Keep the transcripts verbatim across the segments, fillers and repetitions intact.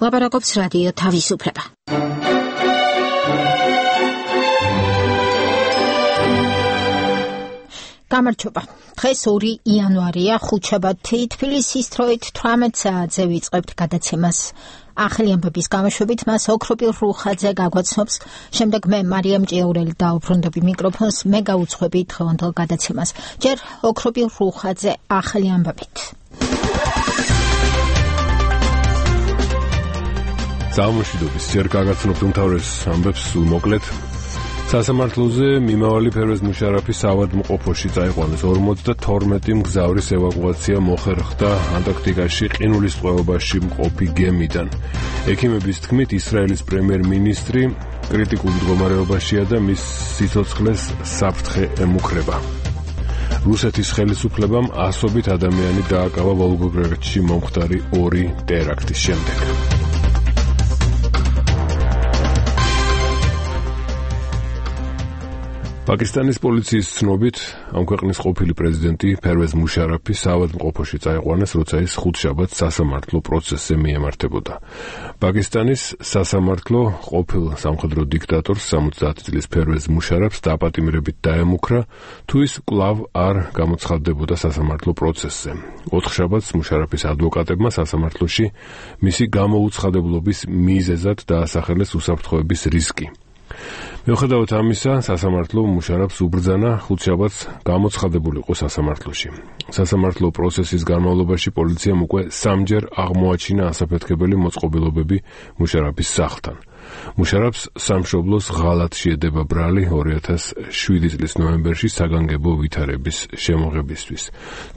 ლაპარაკობს რადიო თავისუფლება. გამარჯობა. დღეს ორი იანვარია, ხუთშაბათი, თბილისის დროით თვრამეტ საათზე ვიწყებთ გადაცემას. ახალი ამბების გამოშვებით მას ოქროპილ რუხაძე გაგვაცნობს. შემდეგ მე მარიამ ჭიაურელი დავუბრუნდები მიკროფონს, მე გაუძღვები დღევანდელ გადაცემას. ჯერ ოქროპილ რუხაძე ახალი ამბებით. Ძალმოშიდობის ჯერ გაგაცნობთ უმთავრეს ამბებს სულ მოკლედ. სასამართლოზე მიმავალი ფერვეზ მუშარაფის ავადმყოფოში წაიყვანეს ორმოცდათორმეტი მგზავრის ევაკუაცია მოხერხდა ანტარქტიკაში ყინულის ტყვეობაში მყოფი გემიდან. ექიმების თქმით, ისრაელის პრემიერ-მინისტრი კრიტიკულ მდგომარეობაშია და მის სიცოცხლეს საფრთხე ემუქრება. რუსეთის ხელისუფლებამ ასობით ადამიანი დააკავა ვოლგოგრადში მომხდარი ორი ტერაქტის შემდეგ. პაკისტანის პოლიციის ცნობით, ამ ქვეყნის ყოფილი პრეზიდენტი ფერვეზ მუშარაფი საავადმყოფოში წაიყვანეს, როცა ის ხუთშაბათს სასამართლო პროცესზე მიემართებოდა. პაკისტანის სასამართლო ყოფილ სამხედრო დიქტატორს სამოცდაათი წლის ფერვეზ მუშარაფს დაპატიმრებით დაემუქრა, თუ ის კვლავ არ გამოცხადდებოდა სასამართლო პროცესზე. ოთხშაბათს მუშარაფის ადვოკატებმა სასამართლოში მისი გამოუცხადებლობის მიზეზად დაასახელეს უსაფრთხოების რისკი. მიუხედავად ამისა, სასამართლო მუშარაფს უბრძანა ხუთშაბათს გამოცხადებულიყო სასამართლოში. სასამართლო პროცესის განმავლობაში პოლიციამ უკვე სამჯერ აღმოაჩინა ასაფეთქებელი მოწყობილობები მუშარაფის სახლთან. მუშარაფს სამშობლოს ღალატ შეედება ბრალი ორი ათას შვიდი წლის ნოემბერში საგანგებო ვითარების შემოღებისთვის.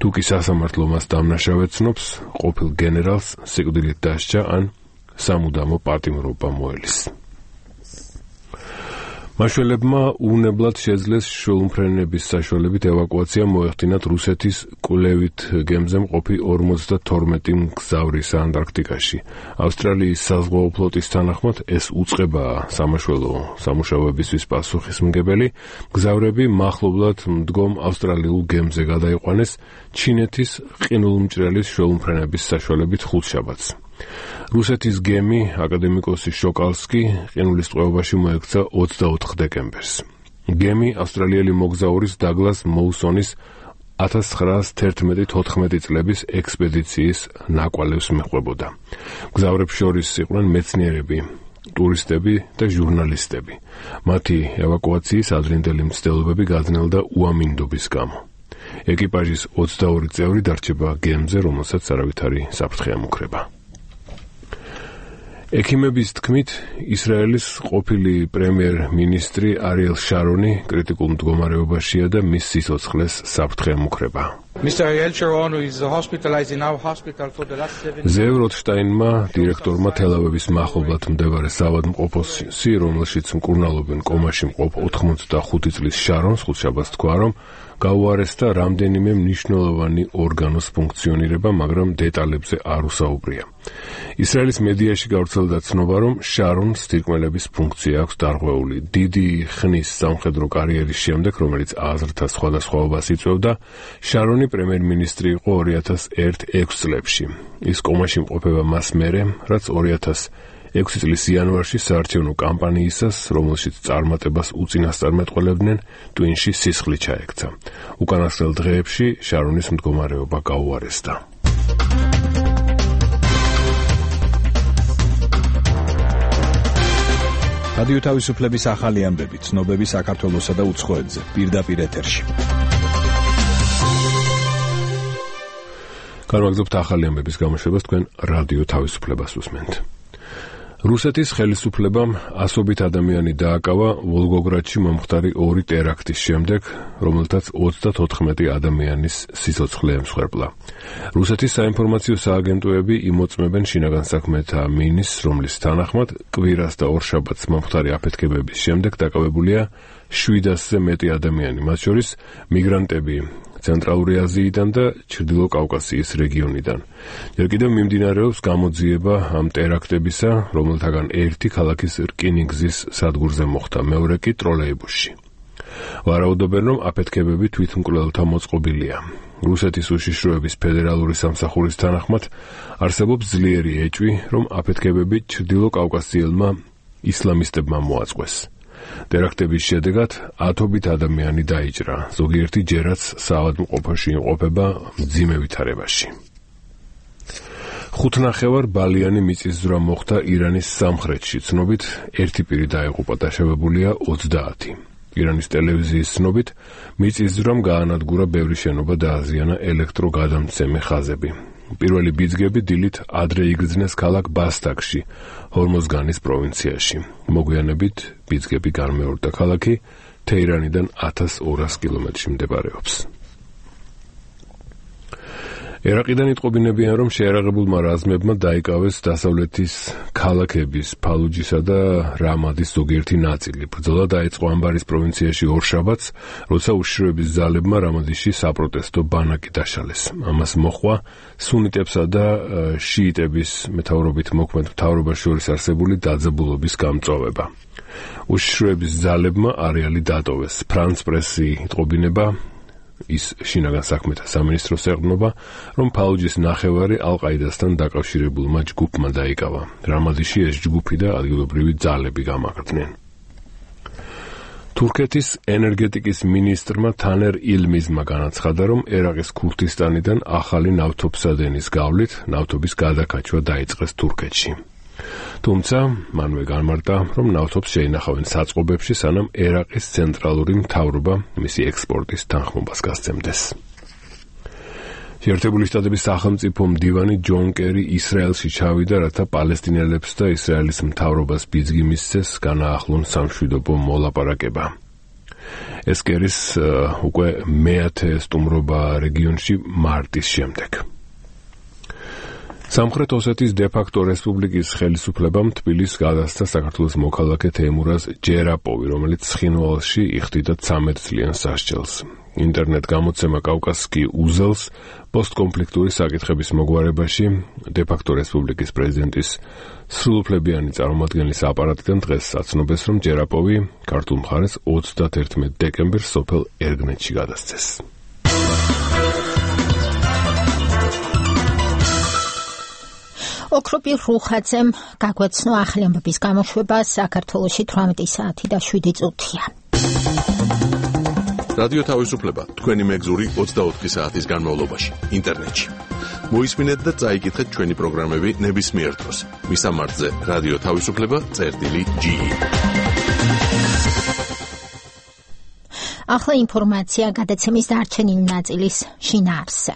თუ კი სასამართლო მას დამნაშავედ ცნობს, ყოფილ გენერალს სიკვდილით დასჯა ან სამუდამო პატიმრობა მოელის. მაშველებმა უვნებლად შეძლეს შუალმფრენების საშუალებით ევაკუაცია მოეხდინათ რუსეთის კვლევით გემზე მყოფი ორმოცდათორმეტი მგზავრის ანტარქტიკაში. ავსტრალიის საზღვაო ფლოტის თანახმად ეს უწყებაა სამაშველო სამუშაოებისთვის პასუხისმგებელი. მგზავრები მახლობლად მდგომ ავსტრალიულ გემზე გადაიყვანეს ჩინეთის ყინულმჭრელის შუალმფრენების საშუალებით ხუთშაბათს. რუსეთის გემი აკადემიკოსი შოკალსკი ყინულის ტყვეობაში მოექცა ოცდაოთხ დეკემბერს. გემი ავსტრალიელი მოგზაურის დაგლას მოუსონის ათას ცხრაასი თერთმეტი წლების ექსპედიციის ნაკვალევს მიჰყვებოდა. მგზავრებს შორის იყვნენ მეცნიერები, ტურისტები და ჟურნალისტები. მათი ევაკუაციის ადრინდელი მცდელობები გაძნელდა უამინდობის გამო. ეკიპაჟის ოცდაორი წევრი დარჩება გემზე, რომელსაც არავითარი საფრთხე ემუქრება. ექიმების თქმით, ისრაელის ყოფილი პრემიერ-მინისტრი არიელ შარონი კრიტიკულ მდგომარეობაშია და მის სიცოცხლეს საფრთხე ემუქრება. ზევ როთშტაინმა, დირექტორმა თელ-ავივის მახლობლად მდებარე საავადმყოფოში, რომელშიც მკურნალობენ კომაში მყოფ ოთხმოცდახუთი წლის შარონს, ხუთშაბათს თქვა, რომ გაუარესდა რამდენიმე მნიშვნელოვანი ორგანოს ფუნქციონირება, მაგრამ დეტალებზე არ უსაუბრია. ისრაელის მედიაში გავრცელდა ცნობა, რომ შარონს თირკმელების ფუნქცია აქვს დარღვეული. დიდი ხნის სამხედრო კარიერის შემდეგ, რომელიც აზრთა სხვადასხვაობას იწვევდა, შარონი პრემიერ-მინისტრი იყო ორი ათას ერთი ექვსი წლებში. ის კომაში მყოფება მას მერე, რაც ორი ათას ექვსი წლის იანვარში საარჩევნო კამპანიისას, რომელშიც წარმატებას უწინასწარმეტყველებდნენ, ტვინში სისხლი ჩაექცა. უკანასკნელ დღეებში შარონის მდგომარეობა გაუარესდა. რადიო თავისუფლების ახალი ამბები, ცნობები საქართველოსა და უცხოეთზე, პირდაპირ ეთერში. განვაგრძობთ ახალი ამბების გამოშვებას, თქვენ რადიო თავისუფლებას უსმენთ. რუსეთის ხელისუფლებამ ასობით ადამიანი დააკავა ვოლგოგრადში მომხდარი ორი ტერაქტის შემდეგ, რომელთაც ოცდათოთხმეტი ადამიანის სიცოცხლე ემსხვერპლა. რუსეთის საინფორმაციო სააგენტოები იმოწმებენ შინაგან საქმეთა მინისტრს, რომლის თანახმად კვირას და ორშაბათს მომხდარი აფეთქებების შემდეგ დაკავებულია შვიდასზე მეტი ადამიანი, მათ შორის მიგრანტები ცენტრალური აზიიდან და ჩრდილო კავკასიის რეგიონიდან. ჯერ კიდევ მიმდინარეობს გამოძიება ამ ტერაქტებისა, რომელთაგან ერთი ქალაქის რკინიგზის სადგურზე მოხდა, მეორე კი ტროლეიბუსში. ვარაუდობენ, რომ აფეთქებები თვითმკვლელთა მოწყობილია. რუსეთის უშიშროების ფედერალური სამსახურის თანახმად არსებობს ძლიერი ეჭვი, რომ აფეთქებები ჩრდილო კავკასიელმა ისლამისტებმა მოაწყვეს. ტერაქტების შედეგად ათობით ადამიანი დაიჭრა, ზოგიერთი ჯერაც საავადმყოფოში იმყოფება მძიმე ვითარებაში. ხუთნახევარ ბალიანი მიწისძვრა მოხდა ირანის სამხრეთში, ცნობით ერთი პირი დაიღუპა, დაშავებულია ოცდაათი. ირანის ტელევიზიის ცნობით მიწისძვრამ გაანადგურა ბევრი შენობა და აზიანა ელექტროგადამცემი ხაზები. პირველი ბიძგები დილით ადრე იგრძნეს ქალაქ ბასტაკში, ჰორმოზგანის პროვინციაში. მოგვიანებით ბიძგები განმეორდა ქალაქი თეირანიდან ათას ორას კილომეტრში მდებარეობს. ერაყიდან იტყობინებიან, რომ შეერაღებულმა რაზმებმა დაიკავეს დასავლეთის ქალაქების ფალუჯისა და რამადის ზოგიერთი ნაწილი. ბრძოლა დაიწყო ამბარის პროვინციაში ორშაბათს, როცა უშიშროების ძალებმა რამადიში საპროტესტო ბანაკი დაშალეს. ამას მოჰყვა სუნიტებსა და შიიტების მეთაურობით მოქმედ მთავრობას შორის არსებული დაძაბულობის გამწვავება. უშიშროების ძალებმა არეალი დატოვეს. ფრანც პრესი იტყობინება, ის შინაგან საქმეთა სამინისტროს ეყრდნობა, რომ ფალუჯის ნახევარი ალ-ყაიდასთან დაკავშირებულმა ჯგუფმა დაიკავა. რამადიში ეს ჯგუფი და ადგილობრივი ძალები გამაგრდნენ. თურქეთის ენერგეტიკის მინისტრმა თანერ ილმიზმა განაცხადა, რომ ერაყის ქურთისტანიდან ახალი ნავთობსადენის გავლით ნავთობის გადაკაჩვა დაიწყეს თურქეთში. თუმცა მანვე განმარტა, რომ ნავთობს შეინახავენ საწყობებში, სანამ ერაყის ცენტრალური მთავრობა მისი ექსპორტის თანხმობას გასცემდეს. შეერთებული შტატების სახელმწიფო მდივანი ჯონ კერი ისრაელში ჩავიდა, რათა პალესტინელებს და ისრაელის მთავრობას ბიძგი მისცეს განაახლონ სამშვიდობო მოლაპარაკება. ეს კერის უკვე მეათე სტუმრობა რეგიონში მარტის შემდეგ. სამხრეთ ოსეთის დე-ფაქტო რესპუბლიკის ხელისუფლებამ თბილისს გადასცა საქართველოს მოქალაქე თეიმურაზ ჯერაპოვი, რომელიც ცხინვალში იხდიდა ცამეტ წლიან სასჯელს. ინტერნეტ გამოცემა კავკასკი უზელს პოსტკონფლიქტური საკითხების მოგვარებაში დე-ფაქტო რესპუბლიკის პრეზიდენტის სრულუფლებიანი წარმომადგენლის აპარატიდან დღეს აცნობეს, რომ ჯერაპოვი ქართულ მხარეს ოცდაათერთმეტ დეკემბერს სოფელ ერგნეთში გადასცეს. ოქროპი რუხაძემ გაგვეცნო ახალი ამბების გამოშვება საქართველოში თვრამეტი საათი და შვიდი წუთია. რადიო თავისუფლება თქვენი მეგზური ოცდაოთხი საათის განმავლობაში ინტერნეტში. მოისმინეთ და წაიკითხეთ ჩვენი პროგრამები ნებისმიერ დროს. მისამართზე რადიო თავისუფლება წერტილი ჯი. ახლა ინფორმაცია გადაცემის დარჩენილი ნაწილის შინაარსზე.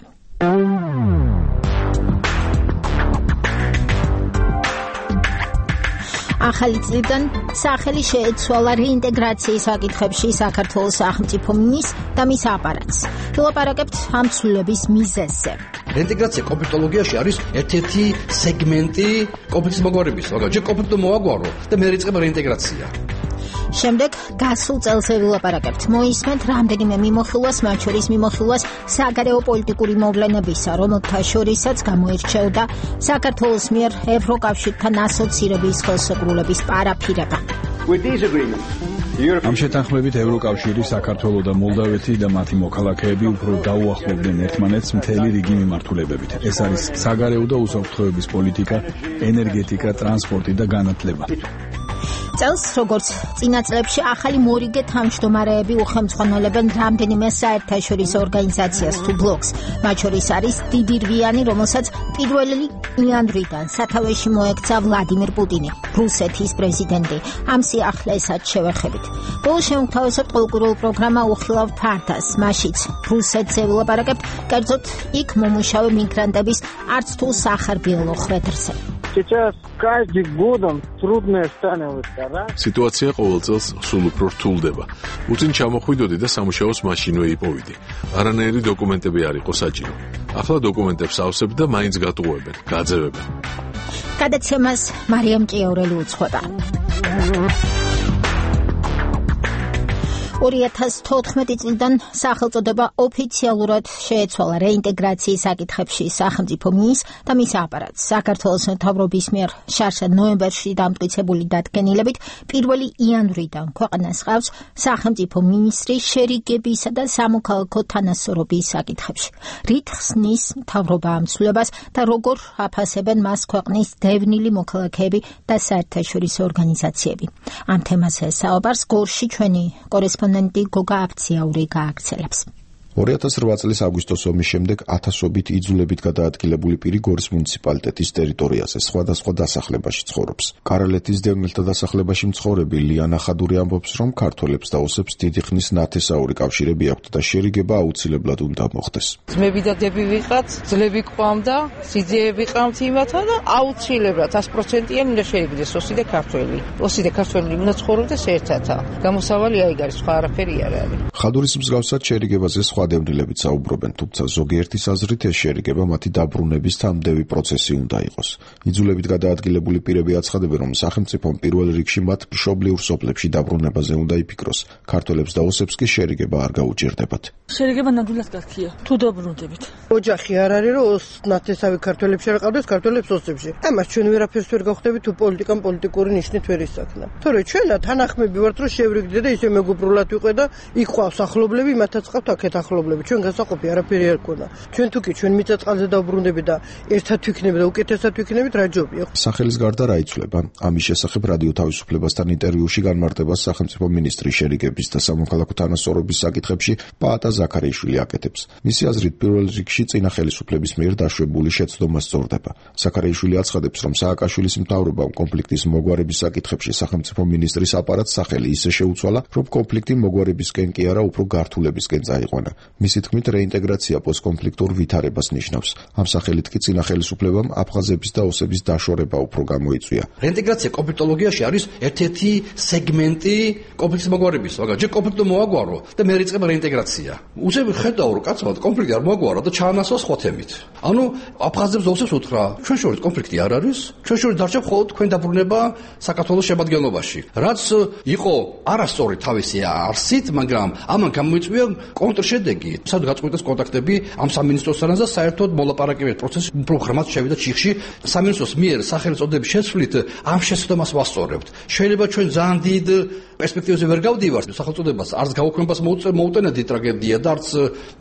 ახალი წლიდან სახელი შეეცვალა რეინტეგრაციის საკითხებში საქართველოს სახელმწიფო მინისტრს და მის აპარატს. ვილაპარაკებთ ამ ცვლილების მიზეზზე. რეინტეგრაცია კონფლიქტოლოგიაში არის ერთ-ერთი სეგმენტი კონფლიქტის მოგვარების. მაგალითად, კონფლიქტო მოაგვარო და მე რიწყება რეინტეგრაცია. შემდეგ გასულ წელზე ვილაპარაკებთ. მოისმენთ რამდენიმე მიმოხილვას, მათ შორის მიმოხილვას საგარეო პოლიტიკური მოვლენებისა, რომელთა შორისაც გამოირჩეოდა საქართველოს მიერ ევროკავშირთან ასოცირების ხელშეკრულების პარაფირება. ამ შეთანხმებით ევროკავშირი, საქართველო და მოლდავეთი და მათი მოქალაქეები უფრო დაუახლოვდნენ ერთმანეთს მთელი რიგი მიმართულებებით. ეს არის საგარეო და უსაფრთხოების პოლიტიკა, ენერგეტიკა, ტრანსპორტი და განათლება. წელს, როგორც წინა წლებში, ახალი მორიგე თავმჯდომარეები უხელმძღვანელებენ რამდენიმე საერთაშორისო ორგანიზაციას თუ ბლოკს. მათ შორის არის დიდი რვიანი, რომელსაც პირველი იანვრიდან სათავეში მოექცა ვლადიმირ პუტინი, რუსეთის პრეზიდენტი. ამ სიახლესაც შევეხებით. ბოლოს შემოგთავაზებთ ყოველკვირეულ პროგრამა უხილავ ფართას, მაშიც რუსეთზე ვილაპარაკებთ, კერძოდ იქ მომუშავე მიგრანტების არც თუ სახარბიელო ხვედრზე. Сейчас каждый годом трудное становится, да? Ситуация ყოველ წელს სულ უფრო რთულდება. უწინ ჩამოხვიდოდი და სამუშაოს მაშინვე იპოვიდი. არანაირი დოკუმენტები არ იყო საჭირო. ახლა დოკუმენტებს ავსებ და მაინც გატყუებენ, გაძევებენ. გადაცემას მარიამ ჭიაურელი უძღვება. ორი ათას თოთხმეტი წლიდან სახელწოდება ოფიციალურად შეეცვალა რეინტეგრაციის საკითხებში სახელმწიფო მინისტრს და მის აპარატს. საქართველოს მთავრობის მიერ შარშად ნოემბერში დამტკიცებული დადგენილებით პირველი იანვრიდან ქვეყანას ჰყავს სახელმწიფო მინისტრი შერიგებისა და სამოქალაქო თანასწორობის საკითხებში. რით ხსნის მთავრობა ამ ცვლილებას და როგორ აფასებენ მას ქვეყნის დევნილი მოქალაქეები და საერთაშორისო ორგანიზაციები. ამ თემაზე საუბარს გორში ჩვენი კორესპონდენტი გოგა აფციაური გააგრძელებს. ორი ათას რვა წლის აგვისტოს ომის შემდეგ ათასობით იძულებით გადაადგილებული პირი გორის მუნიციპალიტეტის ტერიტორიაზე სხვადასხვა დასახლებაში ცხოვრობს. კარალეთის დევნილთა დასახლებაში მცხოვრები ლიანა ხადური ამბობს, რომ ქართველებს და ოსებს დიდი ხნის ნათესაური კავშირები აქვთ და შერიგება აუცილებლად უნდა მოხდეს. ძმები და დები ვიყავთ, ძლები გვყავდა, სიძეები ყავთ იმათა და აუცილებლად ას პროცენტიან უნდა შეიგდეს ოსი და ქართველი. ოსი და ქართველი უნდა ცხოვრობდეს ერთად. გამოსავალი აიგ არის, სხვა არაფერი არ არის. ხადურის მსგავსად შერიგებაზე სხვა დევნილებით საუბრობენ, თუმცა ზოგიერთის აზრით ეს შერიგება მათი დაბრუნების თამდევი პროცესი უნდა იყოს. იძულებით გადაადგილებული პირები აცხადებენ, რომ სახელმწიფომ პირველ რიგში მათ მშობლიურ სოფლებში დაბრუნებაზე უნდა იფიქროს. ქართველებს და ოსებს კი შერიგება არ გაუჭირდებათ. შერიგება ნამდვილად კარგია, თუ დაბრუნდებით. ოჯახი არ არის, რომ ოს ნათესავი ქართველებში არ ყავდეს, ქართველებს ოსებში. ამას ჩვენ ვერაფერს ვერ გავხდებით, თუ პოლიტიკამ პოლიტიკური ნიშნით ვერ ისახნა. თორე ჩვენა თანახმები ვართ, რომ შევრიგდე და ისე მეგობრულად ვიყო და იქ ყავს ახლობლები, მათაც ყავთ აქეთ ახლობლები. ჩვენ გასაყოფი არაფერი არ გქონა. ჩვენ თუ კი ჩვენ მიწა-წყალზე დავბრუნდებით და ერთად ვიქნებით და უკეთესად ვიქნებით, რა ჯობია. სახელის გარდა რა იცვლება? ამის შესახებ რადიო თავისუფლებასთან ინტერვიუში განმარტება სახელმწიფო მინისტრი შერიგების და სამოქალაქო თანასწორობის საკითხებში პაატა ზაქარიაშვილი აკეთებს. მისი აზრით, პირველ რიგში წინა ხელისუფლების მიერ დაშვებული შეცდომა სწორდება. ზაქარიაშვილი აცხადებს, რომ სააკაშვილის მთავრობამ კონფლიქტის მოგვარების საკითხებში სახელმწიფო მინისტრის აპარატს სახელი ისე შეუცვალა, რომ კონფლიქტი მოგვარებისკენ კი არა, უფრო გართულებისკენ წაიყვანა. მისი თქმით, რეინტეგრაცია პოსტკონფლიქტურ ვითარებას ნიშნავს. ამ სახელით კი წინა ხელისუფლებამ აფხაზების და ოსების დაშორება უფრო გამოიწვია. რეინტეგრაცია კონფლიქტოლოგიაში არის ერთ-ერთი სეგმენტი კონფლიქტის მოგვარების, მაგრამ ჯერ კონფლიქტი მოაგვარო და მე რიწყება რეინტეგრაცია. უცებ ხედავ, რომ კაცმა კონფლიქტი არ მოაგვარო და ჩაანაცვლა სხვა თემით. ანუ აფხაზებს და ოსებს უთხრა, ჩვენ შორის კონფლიქტი არ არის, ჩვენ შორის დარჩა მხოლოდ თქვენ დაბრუნება საქართველოს შემადგენლობაში. რაც იყო არასწორი თავისი არსით, მაგრამ ამან გამოიწვია კონტრშედეგი. სად გაწყვეტეს კონტაქტები ამ სამინისტროსთან და საერთოდ მოლაპარაკებების პროცესი უფრო ღრმად შევიდა ჩიხში. სამინისტროს მიერ სახელწოდების შეცვლით ამ შეცდომას ვასწორებთ. შეიძლება ჩვენ ძალიან დიდ პერსპექტივაზე ვერ გავდივართ. სახელწოდებას არც გაუქმებას მოუტანეთ ტრაგედია და არც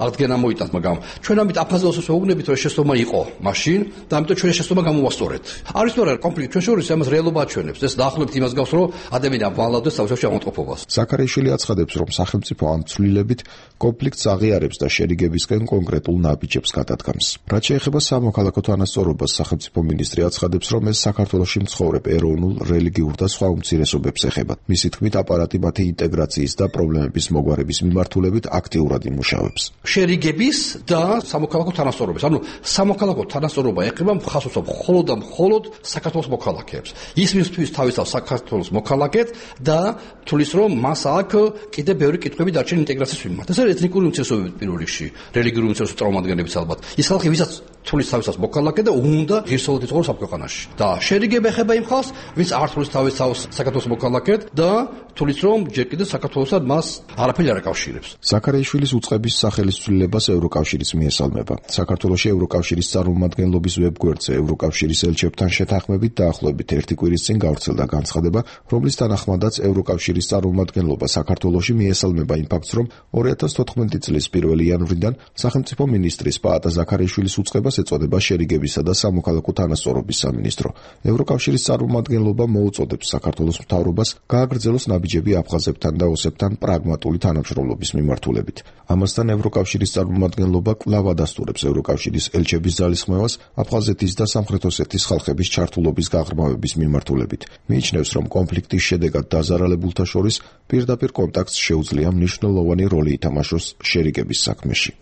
აღდგენა მოიტანთ, მაგრამ ჩვენ ამით აფხაზებს ვეუბნებით, რომ შეცდომა იყო მაშინ და ამიტომ ჩვენ შეცდომა გამოვასწორეთ. არის თუ არა კონფლიქტი ჩვენ შორის ამას რეალობა აჩვენებს. ეს დაახლოებით იმას გავს, რომ ადამიანი ამბალავდეს თავისუფლად აღმოწყობას. ზაქარიაშვილი აცხადებს, რომ სახელმწიფო ამ ცვლილებით კონფლიქტს აღიარებს და შერიგებისკენ კონკრეტულ ნაბიჯებს გადადგამს. რაც შეეხება სამოქალაქო თანასწორობას, სახელმწიფო მინისტრი აცხადებს, რომ ეს საქართველოში მცხოვრებ ეროვნულ, რელიგიურ და სხვა უმცირესობებს ეხება. მისი თქმით, აპარატი მათი ინტეგრაციის და პრობლემების მოგვარების მიმართულებით აქტიურად იმუშავებს. შერიგების და სამოქალაქო თანასწორობის. ანუ სამოქალაქო თანასწორობა ეხება მხარს მხოლოდ და მხოლოდ საქართველოს მოქალაქეებს. ის მისთვის თავისთავად საქართველოს მოქალაქედ და თulis რომ მას აქ კიდე ბევრი კითხვები დარჩენ ინტეგრაციის მიმართ. ეს არის ეთნიკური უმცირესობები პირველ რიგში, რელიგიური უმცირესობების წარმომადგენლებიც ალბათ. ის ხალხი, ვისაც თulis თავისთავად მოქალაქე და უნდა ღირსეულად იცხოვროს ამ ქვეყანაში. და შერიგება ეხება იმ ხალხს, ვინც არ თulis თავისთავად საქართველოს მოქალაქედ და თulis რომ ჯერ კიდევ საქართველოსთან მას არაფერი არ აკავშირებს. ზაქარიაშვილის უწყების სახელის ცვლილებას ევროკავშირიც მიესალმება. საქართველოში ევროკავშირის წარმომადგენლობის ვებგვერდზე ევროკავშირის ელჩებთან შეთანხმებით დაახლოებით ერთი კვირის წინ გავრცელდა განცხადება, რომლის თანახმადაც ევროკავშირის წარმომადგენლობა საქართველოში მიესალმება იმ ფაქტს, რომ ორი ათას თოთხმეტი წლის პირველი იანვრიდან სახელმწიფო მინისტრის პაატა ზაქარიაშვილის უწყებას ეწოდება შერიგებისა და სამოქალაქო თანასწორობის სამინისტრო. ევროკავშირის წარმომადგენლობა მოუწოდებს საქართველოს მთავრობას გააგრძელოს ნაბიჯები აფხაზებთან და ოსებთან პრაგმატული თანამშრომლობის მიმართულებით. ამასთან ევროკავშირის წარმომადგენლობა კვლავ ადასტურებს ევროკავშირის ელჩების ძალისხმევას აფხაზეთის და სამხრეთ ოსეთის ხალხების ჩართულობის გაღრმავების მიმართულებით. მიიჩნევს, რომ კონფლიქტის შედეგად დაზარალებულთა შორის პირდაპირ კონტაქტს შეუძლია მნიშვნელოვანი როლი ითამაშოს შერიგების საქმეში.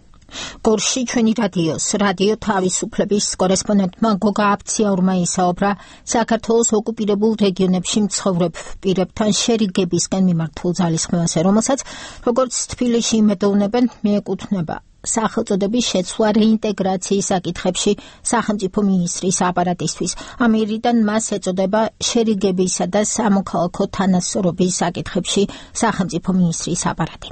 გორში ჩვენი რადიოს რადიო თავისუფლების კორესპონდენტმა გოგა აფციაურმა ისაუბრა საქართველოს ოკუპირებულ რეგიონებში მცხოვრებ პირებთან შერიგებისკენ მიმართულ ძალისხმევაზე, რომელსაც როგორც თბილისში იმედოვნებენ, მიეკუთვნება სახელწოდების შეცვლა რეინტეგრაციის საკითხებში სახელმწიფო მინისტრის აპარატისთვის. ამერიდან მას ეწოდება შერიგებისა და სამოქალაქო თანასწორობის საკითხებში სახელმწიფო მინისტრის აპარატი.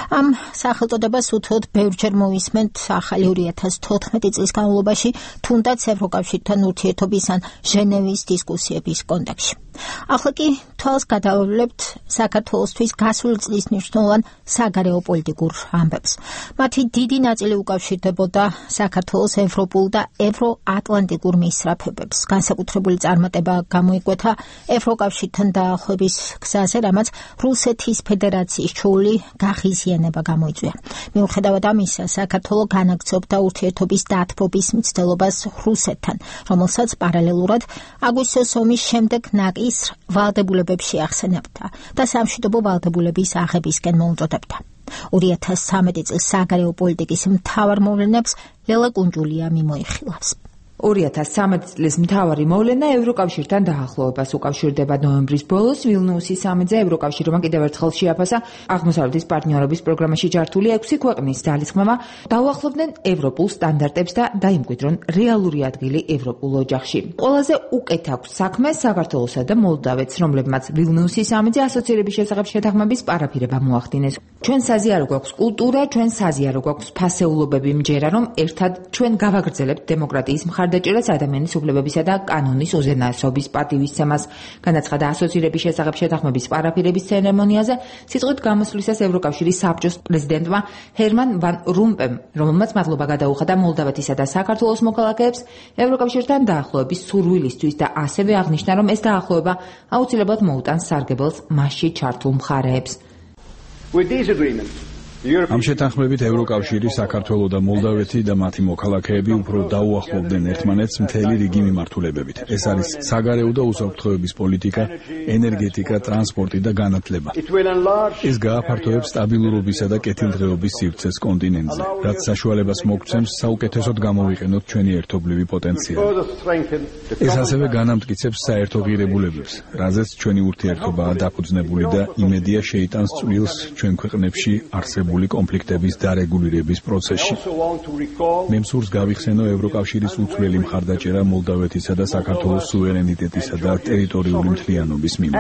ამ სახელწოდებას უთუოდ ბევრჯერ მოვისმენთ ახალი ორი ათას თოთხმეტი წლის განმავლობაში, თუნდაც ევროკავშირთან ურთიერთობის ან ჟენევის დისკუსიების კონტექსტში. ახლა კი თვალს გადავავლებთ საქართველოსთვის გასული წლის მნიშვნელოვან საგარეო პოლიტიკურ ამბებს. მათი დიდი ნაწილი უკავშირდებოდა საქართველოს ევროპულ და ევროატლანტიკურ მისწრაფებებს. განსაკუთრებული წარმატება გამოიკვეთა ევროკავშირთან დაახლოების გზაზე, რამაც რუსეთის ფედერაციის ჩეული გაღიზიანება გამოიწვია. მიუხედავად ამისა, საქართველო განაგრძობდა ურთიერთობის დათბობის მცდელობას რუსეთთან, რომელსაც პარალელურად აგვისტოს ომის შემდეგ ნაკისრ ვალდებულებებში ახსენებდა და სამშვიდობო ვალდებულების აღებისკენ მოუწოდებდა. ორი ათას ცხრამეტი წლის საგარეო პოლიტიკის მთავარ მოვლენებს ლელა კუნჯულია მიმოიხილავს. ორი ათას ცხრამეტი წლის მთავარი მოვლენა ევროკავშირთან დაახლოებას უკავშირდება. ნოემბრის ბოლოს ვილნიუსის სამიტზე ევროკავშირმა კიდევ ერთხელ შეაფასა აღმოსავლეთის პარტნიორობის პროგრამაში ჩართული ექვსი ქვეყნის ძალისხმევა დაუახლოვდნენ ევროპულ სტანდარტებს და დაიმკვიდრონ რეალური ადგილი ევროპულ ოჯახში. ყველაზე უკეთ აქვს საქმე საქართველოსა და მოლდავეთს, რომლებმაც ვილნიუსის სამიტზე ასოცირების შესახებ შეთანხმების პარაფირება მოახდინეს. ჩვენ საზიარო გვაქვს კულტურა, ჩვენ საზიარო გვაქვს ფასეულობები, მჯერა რომ ერთად ჩვენ გავაგრძელებთ დემოკრატიის მხარდაჭერას, ადამიანის უფლებებისა და კანონის უზენაესობის პატივისცემას. განაცხადა ასოცირების შესახებ შეთანხმების პარაფირების ცერემონიაზე სიტყვით გამოსვლისას ევროკავშირის საბჭოს პრეზიდენტმა ჰერმან ვან რომპემ, რომელმაც მადლობა გადაუხადა მოლდავეთისა და საქართველოს მოქალაქეებს ევროკავშირთან დაახლოების სურვილისთვის და ასევე აღნიშნა, რომ ეს დაახლოება აუცილებლად მოუტანს სარგებელს მასში ჩართულ მხარეებს. ამ შეთანხმებით ევროკავშირი, საქართველო და მოლდავეთი და მათი მოქალაქეები უფრო დაუახლოვდნენ ერთმანეთს მთელი რიგი მიმართულებებით. ეს არის საგარეო და უსაფრთხოების პოლიტიკა, ენერგეტიკა, ტრანსპორტი და განათლება. ეს გააფართოებს სტაბილურობისა და კეთილდღეობის სივრცეს კონტინენტზე, რაც საშუალებას მოგცემს საუკეთესოდ გამოვიყენოთ ჩვენი ერთობლივი პოტენციალი. ეს ასევე განამტკიცებს საერთო ღირებულებებს, რაზეც ჩვენი ურთიერთობაა დაფუძნებული და იმედია შეიტანს წვლილს ჩვენ ქვეყნებში არსებულ კონფლიქტების დარეგულირების პროცესში. მე მსურს გავიხსენო ევროკავშირის უცვლელი მხარდაჭერა მოლდავეთისა და საქართველოს სუვერენიტეტისა და ტერიტორიული მთლიანობის მიმართ.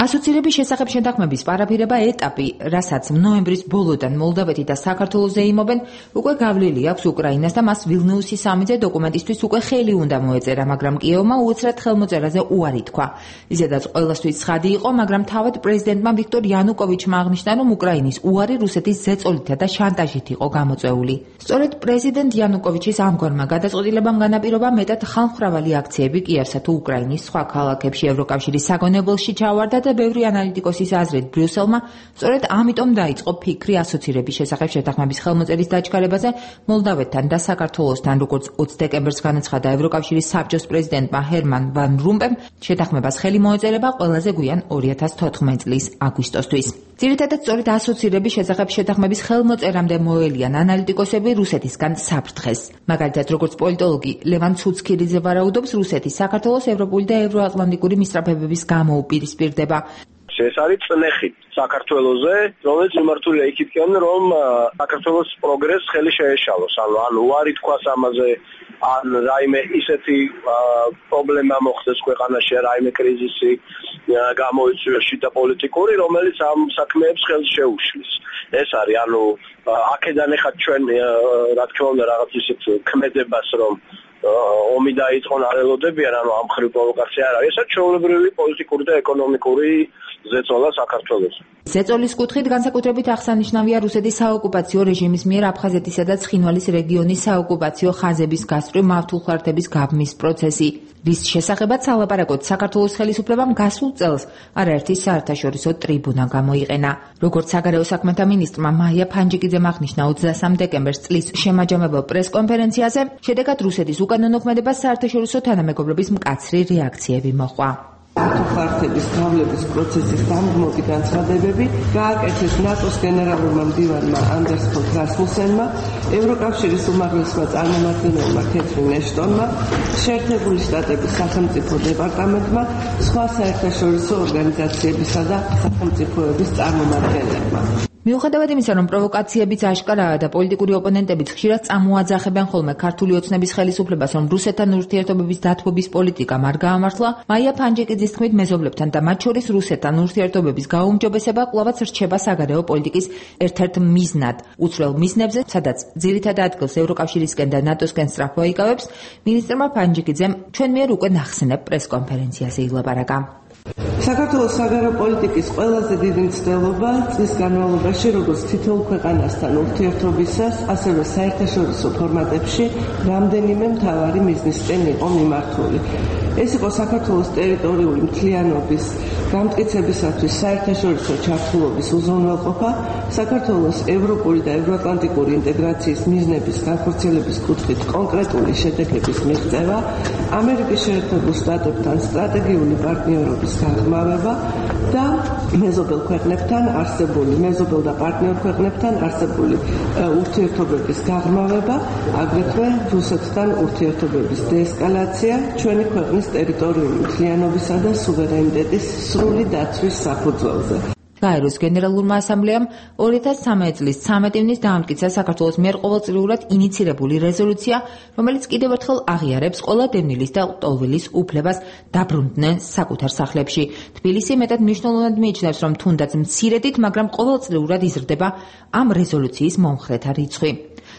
ასოცირების შესახებ შეთანხმების პარაფირება ეტაპი, რასაც ნოემბრის ბოლოდან მოლდავეთი და საქართველოს ზეიმობენ, უკვე გავლილი აქვს უკრაინას და მას ვილნიუსის სამიტზე დოკუმენტისთვის უკვე ხელი უნდა მოეწერა, მაგრამ კიევმა უეცრად ხელმოწერაზე უარი თქვა. ისედაც ყველასთვის ცხადი იყო, მაგრამ თავად პრეზიდენტმა ვიქტორ იანუკოვიჩმა აღნიშნა, რომ უკრაინის უარი რუსეთის ზეწოლითა და შანტაჟით იყო გამოწვეული. სწორედ პრეზიდენტ იანუკოვიჩის ამგვარმა გადაწყვეტილებამ განაპირობა მეტად ხალხმრავალი აქციები კიევსა თუ უკრაინის სხვა ქალაქებში. ევროკავშირის საგონებელში ჩავარდა და ბევრი ანალიტიკოსის აზრით ბრიუსელმა სწორედ ამიტომ დაიწყო ფიქრი ასოცირების შესახებ შეთანხმების ხელმოწერის დაჩქარებაზე მოლდავეთთან და საქართველოსთან, როგორც ოცი დეკემბერს განაცხადა ევროკავშირის საბჭოს პრეზიდენტმა ჰერმან ვან რომპემ, შეთანხმებას ხელი მოეწერება ყველაზე გვიან ორი ათას თოთხმეტი წლის აგვისტოსთვის. ძირითადად სწორედ ასოცირების შესახებ შეთანხმების ხელმოწერამდე მოელიან ანალიტიკოსები რუსეთისგან საფრთხეს. მაგალითად, როგორც პოლიტოლოგი ლევან ცუცქირიძე ვარაუდობს, რუსეთი საქართველოს ევროპული და ევროატლანტიკური მისწრაფებების გამო უპირისპირდება. ეს არის წნეხი საქართველოზე, რომელიც მიმართულია იქითკენ, რომ საქართველოს პროგრესს ხელი შეეშალოს. ანუ ან უარი თქვას ამაზე, ან რაიმე ისეთი პრობლემა მოხდეს ქვეყანაში, რაიმე კრიზისი გამოიწვიოს შიდა პოლიტიკური, რომელიც ამ საქმეებს ხელს შეუშლის. ეს არის, ანუ აქედან ეხლა ჩვენ რა თქმა უნდა რაღაც ისეთ ქმედებას, რომ ომი დაიწყონ არ ელოდებიან, ანუ ამ ხრივ პროვოკაცია არ არის. ეს არის ჩვეულებრივი პოლიტიკური და ეკონომიკური ზეწოლა საქართველოს. ზეწოლის კუთხით განსაკუთრებით აღსანიშნავია რუსეთის საოკუპაციო რეჟიმის მიერ აფხაზეთისა და ცხინვალის რეგიონის საოკუპაციო ხაზების გასწვრივ მავთულხარდების გაბმის პროცესი, რის შესახებაც სალაპარაკოდ საქართველოს ხელისუფლებამ გასულ წელს არაერთი საერთაშორისო ტრიბუნა გამოიყენა. როგორც საგარეო საქმეთა მინისტრმა მაია ფანჯიკიძემ აღნიშნა ოცდასამ დეკემბერს წლის შემაჯამებელ პრესკონფერენციაზე, შედეგად რუსეთის უკანონო ქმედებას საერთაშორისო თანამეგობრობის მკაცრი რეაქციები მოჰყვა. მავთულხარდების გავლების პროცესის დამგმობი განცხადებები გააკეთეს ნატოს გენერალურმა მდივანმა ანდერს ფონ რასმუსენმა, ევროკავშირის უმაღლესმა წარმომადგენელმა კეთრინ ეშტონმა, შეერთებული შტატების სახელმწიფო დეპარტამენტმა, სხვა საერთაშორისო ორგანიზაციებისა და სახელმწიფოების წარმომადგენლებმა. მიუხედავად იმისა, რომ პროვოკაციებიც აშკარაა და პოლიტიკური ოპონენტებიც ხშირად წამოაძახებენ ხოლმე ქართული ოცნების ხელისუფლებას, რომ რუსეთთან ურთიერთობების დათბობის პოლიტიკა არ გაამართლა, მაია ფანჯიკიძის თქმით მეზობლებთან და მათ შორის რუსეთთან ურთიერთობების გაუმჯობესება კვლავაც რჩება საგარეო პოლიტიკის ერთ-ერთ მიზნად. უცვლელ მიზნებზე, სადაც ძირითად ადგილს ევროკავშირისკენ და ნატოსკენ სწრაფვა იკავებს, მინისტრმა ფანჯიკიძემ ჩვენ მიერ უკვე ნახსენებ პრესკონფერენციაზე ილაპარაკა. საქართველოს საგარეო პოლიტიკის ყველაზე დიდი მცდელობა წლის განმავლობაში როგორც თითოეულ ქვეყანასთან ურთიერთობისას, ასევე საერთაშორისო ფორმატებში რამდენიმე მთავარი მიზნისკენ იყო მიმართული. ეს იყო საქართველოს ტერიტორიული მთლიანობის გამტკიცებისათვის საერთაშორისო ჩართულობის უზრუნველყოფა, საქართველოს ევროპული და ევროატლანტიკური ინტეგრაციის მიზნების განხორციელების კუთხით კონკრეტული შედეგების მიღწევა, ამერიკის შეერთებულ შტატებთან სტრატეგიული პარტნიორობის გაღრმავება და მეზობელ ქვეყნებთან არსებული მეზობელ და პარტნიორ ქვეყნებთან არსებული ურთიერთობების გაღრმავება, აგრეთვე რუსეთთან ურთიერთობების დეესკალაცია ჩვენი ქვეყნის ტერიტორიული მთლიანობისა და სუვერენიტეტის სრული დაცვის საფუძველზე. გაეროს გენერალურმა ასამბლეამ ორი ათას სამი წლის ცამეტი ივნის დაამტკიცა საქართველოს მიერ ყოველწლიურად ინიცირებული რეზოლუცია, რომელიც კიდევ ერთხელ აღიარებს ყველა დევნილის და ლტოლვილის უფლებას დაბრუნდნენ საკუთარ სახლებში. თბილისი მეტად მნიშვნელოვნად მიიჩნევს, რომ თუნდაც მცირედით, მაგრამ ყოველწლიურად იზრდება ამ რეზოლუციის მომხრეთა რიცხვი.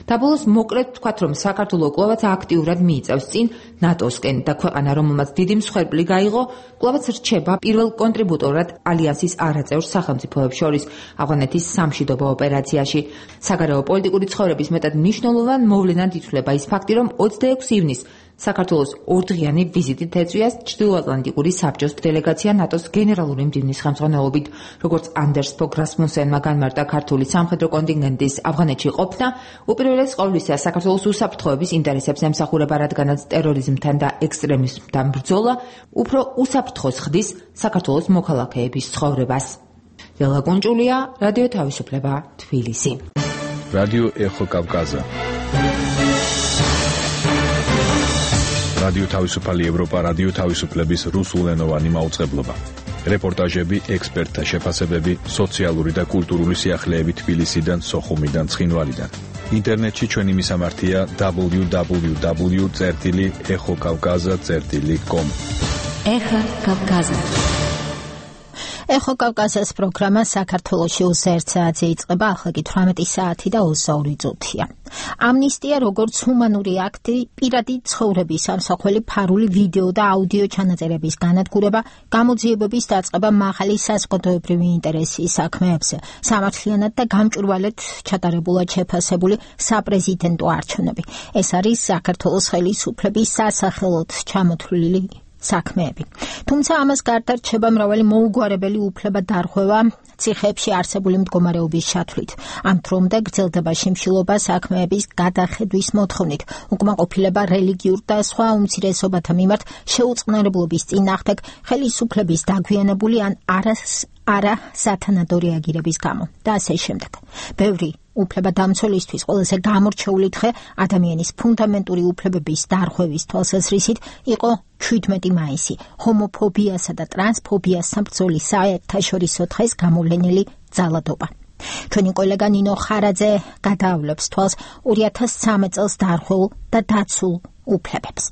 დაბოლოს მოკლედ ვთქვათ, რომ საქართველო კვლავაც აქტიურად მიიწევს წინ ნატოსკენ და ქვეყანა, რომელმაც დიდი მსხვერპლი გაიღო, კვლავაც რჩება პირველ კონტრიბუტორად ალიანსის არაწევრ სახელმწიფოებს შორის ავღანეთის სამშვიდობო ოპერაციაში. საგარეო პოლიტიკური ცხოვრების მეტად მნიშვნელოვან მოვლენად ითვლება ის ფაქტი, რომ ოცდაექვსი ივნის საქართველოს ორდღიანი ვიზიტით ეწვიას ჩრდილოატლანტიკური საბჭოს დელეგაცია ნატოს გენერალური მდივნის ხელმძღვანელობით. როგორც ანდერს ფოგ რასმუსენმა განმარტა ქართული სამხედრო კონტინგენტის ავღანეთში ყოფნა, უპირველეს ყოვლისა საქართველოს უსაფრთხოების ინტერესებს ემსახურება, რადგანაც ტერორიზმთან და ექსტრემიზმთან ბრძოლა უფრო უსაფრთხოს ხდის საქართველოს მოქალაქეების ცხოვრებას. ლელა გუნჭულია, რადიო თავისუფლება, თბილისი. რადიო ეხო კავკაზა. რადიო თავისუფალი ევროპა, რადიო თავისუფლების რუსულენოვანი მაუწყებლობა. რეპორტაჟები, ექსპერტთა შეფასებები, სოციალური და კულტურული სიახლეები თბილისიდან, სოხუმიდან, ცხინვალიდან. ინტერნეტში ჩვენი მისამართია დაბლიუ დაბლიუ დაბლიუ წერტილი ეხო კავკაზა წერტილი კომ. ეხო კავკაზა. ეხო კავკაზას პროგრამა საქართველოში ოცდაერთ საათზე იწყება, ახლა კი თვრამეტი საათი და ოცდაორი წუთია. ამნისტია როგორც ჰუმანური აქტი, პირადი ცხოვრების ამსახველი ფარული ვიდეო და აუდიო ჩანაწერების განადგურება, გამოძიებების დაწყება მაღალი საზოგადოებრივი ინტერესის საქმეებზე, სამართლიანად და გამჭვირვალედ ჩატარებულად შეფასებული საპრეზიდენტო არჩევნები. ეს არის საქართველოს ხელისუფლების სასახელოდ ჩამოთვლილი საქმეები. თუმცა ამას გარდა რჩება მრავალი მოუგვარებელი უფლება დარღვევა ციხეებში არსებული მდგომარეობის ჩათვლით. ამ დრომდე გრძელდება შიმშილობა საქმეების გადახედვის მოთხოვნით, უკმაყოფილება რელიგიურ და სხვა უმცირესობათა მიმართ შეუწყნარებლობის წინააღმდეგ ხელისუფლების დაგვიანებული ან არას არა სათანადო რეაგირების გამო და ასე შემდეგ. ბევრი უფლება დამცველისთვის ყველაზე გამორჩეული დღე ადამიანის ფუნდამენტური უფლებების დარღვევის თვალსაზრისით იყო შვიდმეტი მაისი, ჰომოფობიასა და ტრანსფობიასთან ბრძოლის საერთაშორისო დღეს გამოვლენილი ძალადობა. ჩვენი კოლეგა ნინო ხარაძე გადაავლებს თვალს ორი ათას სამი წელს დარღვეულ და დაცულ უფლებებს.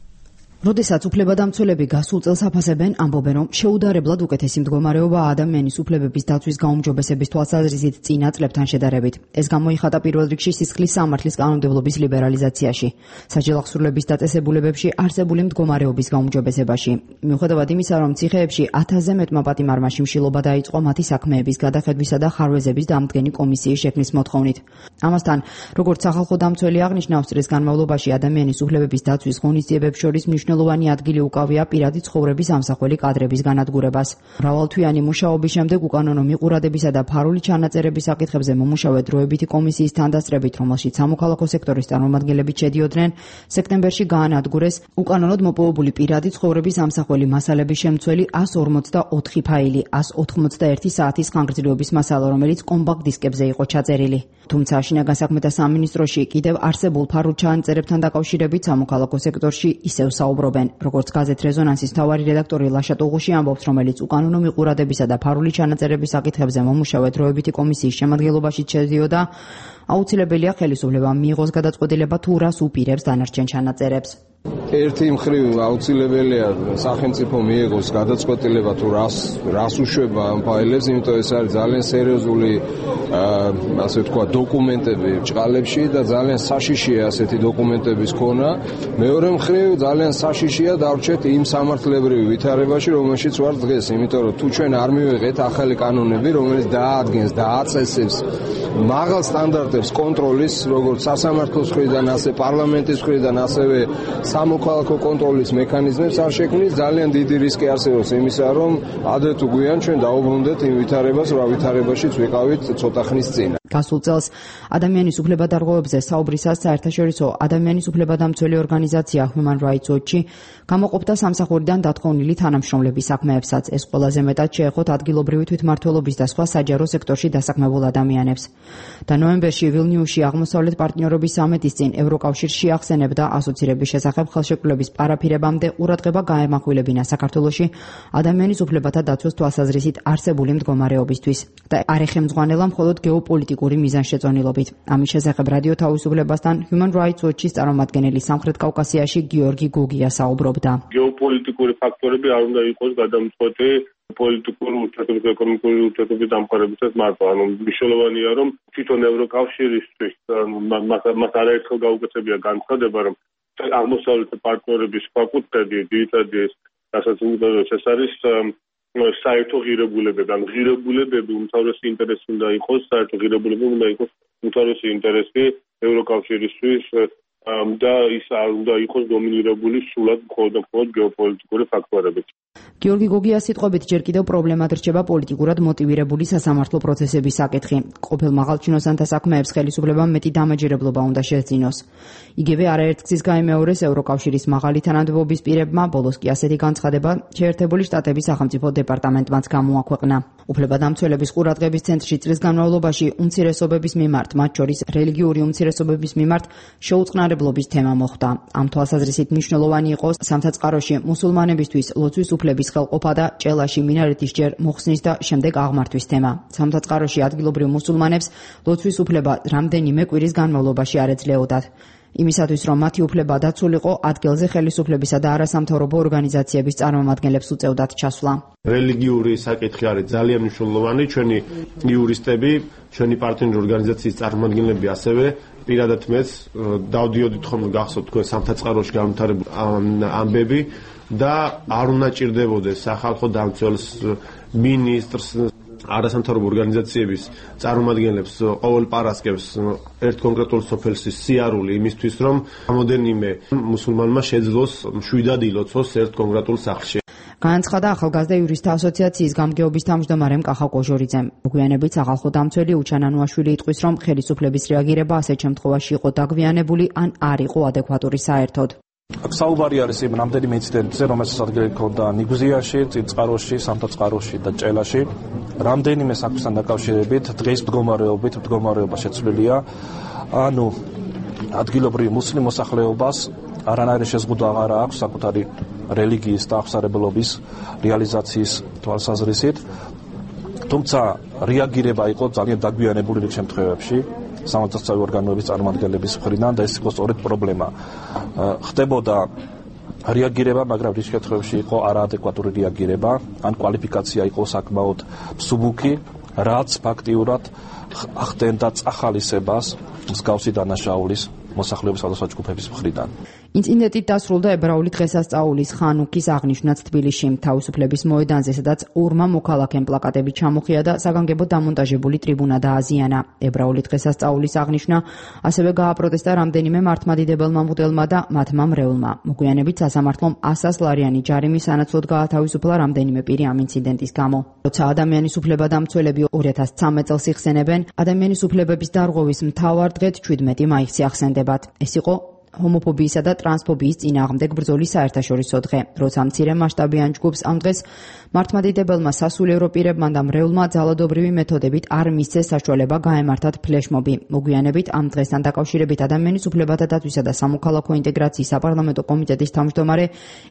როდესაც უფლებადამცველები გასულ წელს აფასებენ, ამბობენ, რომ შეუდარებლად უკეთესი მდგომარეობა ადამიანის უფლებების დაცვის გაუმჯობესების თვალსაზრისით წინა წლებთან შედარებით. ეს გამოიხატა პირველ რიგში სისხლის სამართლის კანონმდებლობის ლიბერალიზაციაში, საჯელახსრულების დაწესებულებებში არსებული მდგომარეობის გაუმჯობესებაში. მიუხედავად იმისა, რომ ციხეებში ათასზე მეტმა პატიმარმა შიმშილობა დაიწყო მათი საქმეების გადახედვისა და ხარვეზების დამდგენი კომისიის შექმნის მოთხოვნით. ამასთან, როგორც სახალხო დამცველი აღნიშნავს, წლის განმავლობაში ადამიანის უფლებების დაცვის ღონისძიებებს შორის მნიშვნელოვანი ადგილი უკავია პირადი ცხოვრების ამსახველი კადრების განადგურებას. მრავალთვიანი მუშაობის შემდეგ უკანონო მიყურადებისა და ფარული ჩანაწერების საკითხებზე მომუშავე დროებითი კომისიის თანდასწრებით, რომელშიც სამოქალაქო სექტორის წარმომადგენლები შედიოდნენ, სექტემბერში გაანადგურეს უკანონოდ მოპოვებული პირადი ცხოვრების ამსახველი მასალების შემცველი ასს ორმოცდაოთხი ფაილი, ასს ოთხმოცდაერთი საათის ხანგრძლივობის მასალა, რომელიც კომპაქტ დისკებზე იყო ჩაწერილი. თუმცა შინაგან საქმეთა სამინისტროში კიდევ არსებულ ფარულ ჩანაწერებთან დაკავშირებით სამოქალაქო სექტორში ისევ საუბარი საუბრობენ. როგორც გაზეთ რეზონანსის მთავარი რედაქტორი ლაშა ტუღუში ამბობს, რომელიც უკანონო მიყურადებისა და ფარული ჩანაწერების საკითხებზე მომუშავე დროებითი კომისიის შემადგენლობაში შედიოდა, აუცილებელია ხელისუფლებამ მიიღოს გადაწყვეტილება თუ რას უპირებს დანარჩენ ჩანაწერებს. ერთი მხრივ აუცილებელია სახელმწიფო მიიღოს გადაწყვეტილება თუ რას რას უშვება ამ ფაილებს, იმიტომ ეს არის ძალიან სერიოზული ასე ვთქვა დოკუმენტები ჭყალებში და ძალიან საშიშია ასეთი დოკუმენტების ქონა. მეორე მხრივ ძალიან საშიშია დავრჩეთ იმ სამართლებრივ ვითარებაში, რომელშიც ვართ დღეს, იმიტომ რომ თუ ჩვენ არ მივიღეთ ახალი კანონები, რომელიც დაადგენს და აწესებს მაღალ სტანდარტებს კონტროლის, როგორც სასამართლოს მხრიდან, ასე პარლამენტის მხრიდან, ასევე სამოქალაქო კონტროლის მექანიზმებს არ შექმნის, ძალიან დიდი რისკი არსებობს იმისა, რომ ადრე თუ გვიან ჩვენ დაუბრუნდეთ იმ ვითარებას, რა ვითარებაშიც ვიყავით ცოტა ხნის წინ. გასულ წელს ადამიანის უფლებადარღვევებზე საუბრისას საერთაშორისო ადამიანის უფლებადამცველი ორგანიზაცია Human Rights Watch გამოყოფდა სამსახურიდან დათხოვნილი თანამშრომლების საქმეებსაც. ეს ყველაზე მეტად შეეხოთ ადგილობრივი თვითმმართველობის და სხვა საჯარო სექტორში დასაქმებულ ადამიანებს. და ნოემბერში ვილნიუსში აღმოსავლეთ პარტნიორობის სამიტის წინ ევროკავშირში ახსენებდა ასოცირების შესახებ ხელშეკრულების პარაფირებამდე ყურადღება გაემახვილებინა საქართველოში ადამიანის უფლებათა დაცვის თვალსაზრისით არსებული მდგომარეობისთვის და არ ეხემძღვანელა მხოლოდ გეოპოლიტიკური მიზანშეწონილობით. ამის შესახებ რადიო თავისუფლებასთან Human Rights Watch-ის წარმომადგენელი სამხრეთ კავკასიაში გიორგი გოგია საუბრობდა. გეოპოლიტიკური ფაქტორები არ უნდა იყოს გადამწყვეტი პოლიტიკური ურთიერთობების, ეკონომიკური ურთიერთობების დამყარებისას მარტო. ანუ მნიშვნელოვანია, რომ თვითონ ევროკავშირისთვის მას არაერთხელ გაუკეთებია განცხადება, რომ აღმოსავლეთ პარტნიორების ფაკულტეტი ძირითადად რასაც უმთავრეს ეს არის საერთო ღირებულებები. ან ღირებულებები უმთავრესი ინტერესი უნდა იყოს, საერთო ღირებულებები უნდა იყოს უმთავრესი ინტერესი ევროკავშირისთვის და ის არ უნდა იყოს დომინირებული სულად მხოლოდ და მხოლოდ გეოპოლიტიკური ფაქტორებით. გიორგი გოგიას სიტყვებით ჯერ კიდევ პრობლემად რჩება პოლიტიკურად მოტივირებული სასამართლო პროცესების საკითხი. ყოფილ მაღალჩინოსანთა საქმეებს ხელისუფლებამ მეტი დამაჯერებლობა უნდა შეძინოს. იგივე არაერთგზის გაიმეორეს ევროკავშირის მაღალი თანამდებობის პირებმა, ბოლოს კი ასეთი განცხადება შეერთებული შტატების სახელმწიფო დეპარტამენტმაც გამოაქვეყნა. უფლებადამცველების ყურადღების ცენტრში წლის განმავლობაში უმცირესობების მიმართ, მათ შორის რელიგიური უმცირესობების მიმართ შეუწყნარებლობის თემა მოხვდა. ამ თვალსაზრისით მნიშვნელოვანი იყო სამსაწყაროში მუსულმანებისთვის ლოცვის უფლების ხელყოფა და ჭელაში მინარეთის ჯერ მოხსნის და შემდეგ აღმართვის თემა. სამსაწყაროში ადგილობრივ მუსულმანებს ლოცვის უფლება რამდენიმე კვირის განმავლობაში არ ეძლეოდათ. იმისათვის, რომ მათი უფლება დაცულიყო, ადგილზე ხელისუფლებისა და არასამთავრობო ორგანიზაციების წარმომადგენლებს უწევდათ ჩასვლა. რელიგიური საკითხი არის ძალიან მნიშვნელოვანი. ჩვენი იურისტები, ჩვენი პარტნიორი ორგანიზაციის წარმომადგენლები ასევე პირადად მეც დავდიოდით ხომ გახსოვთ თქვენ სამსაწყაროში განვითარებული ამბები და არ უნდა ჭირდებოდეს სახალხო დამცველს, მინისტრს, არასამთავრობო ორგანიზაციების წარმომადგენლებს ყოველ პარასკევს ერთ კონკრეტულ სოფელში სიარული იმისთვის, რომ რამოდენიმე მუსულმანმა შეძლოს მშვიდად ილოცოს ერთ კონკრეტულ სახლში. განაცხადა ახალგაზრდა იურისტთა ასოციაციის გამგეობის თავმჯდომარემ კახა კოჟორიძემ. მოგვიანებით სახალხო დამცველი უჩანანუაშვილი იტყვის, რომ ხელისუფლების რეაგირება ასეთ შემთხვევაში იყო დაგვიანებული ან არ იყო ადეკვატური საერთოდ. აქ საუბარი არის იმ რამდენიმე ინციდენტზე, რომელსაც ადგილი ჰქონდა ნიგუზიაში, წინწყაროში, სამთაწყაროში და ჭელაში. რამდენიმე საქმესთან დაკავშირებით დღეს მდგომარეობით მდგომარეობა შეცვლილია. ანუ ადგილობრივი მუსლიმ მოსახლეობას არანაირი შეზღუდვა აღარ აქვს საკუთარი რელიგიის და აღსარებლობის რეალიზაციის თვალსაზრისით. თუმცა რეაგირება იყო ძალიან დაგვიანებული რიგ შემთხვევებში სამართალდამცავი ორგანოების წარმომადგენლების მხრიდან და ეს იყო სწორედ პრობლემა. ხდებოდა რეაგირება, მაგრამ რიგ შემთხვევებში იყო არაადეკვატური რეაგირება, ან კვალიფიკაცია იყო საკმაოდ მსუბუქი, რაც ფაქტიურად ახდენდა წახალისებას მსგავსი დანაშაულის მოსახლეობის სხვადასხვა ჯგუფების მხრიდან. ინციდენტით დასრულდა ებრაული დღესასწაულის ხანუქის აღნიშვნაც თბილისში, თავისუფლების მოედანზე, სადაც ორმა მოქალაქემ პლაკატები ჩამოხია და საგანგებოდ დამონტაჟებული ტრიბუნა დააზიანა. ებრაული დღესასწაულის აღნიშვნა ასევე გააპროტესტა რამდენიმე მართლმადიდებელმა მღვდელმა და მათმა მრევლმა. მოგვიანებით სასამართლომ ასას ლარიანი ჯარიმი სანაცვლოდ გაათავისუფლა რამდენიმე პირი ამ ინციდენტის გამო. როცა ადამიანის უფლებადამცველები ორი ათას ცხრამეტ წელს იხსენებენ ადამიანის უფლებების დარღვევის მთავარ დღედ შვიდმეტი მაისი ახსენდებათ. ეს იყო ჰომოფობიისა და ტრანსფობიის წინააღმდეგ ბრძოლის საერთაშორისო დღე, როცა მცირე მასშტაბიან ჯგუფს ამ დღეს მართლმადიდებელმა სასულიერო პირებმა და მრევლმა ძალადობრივი მეთოდებით არ მისცეს საშუალება გაემართათ ფლეშმობი. მოგვიანებით ამ დღესთან დაკავშირებით ადამიანის უფლებათა დაცვისა და სამოქალაქო ინტეგრაციის საპარლამენტო კომიტეტის თავმჯდომარე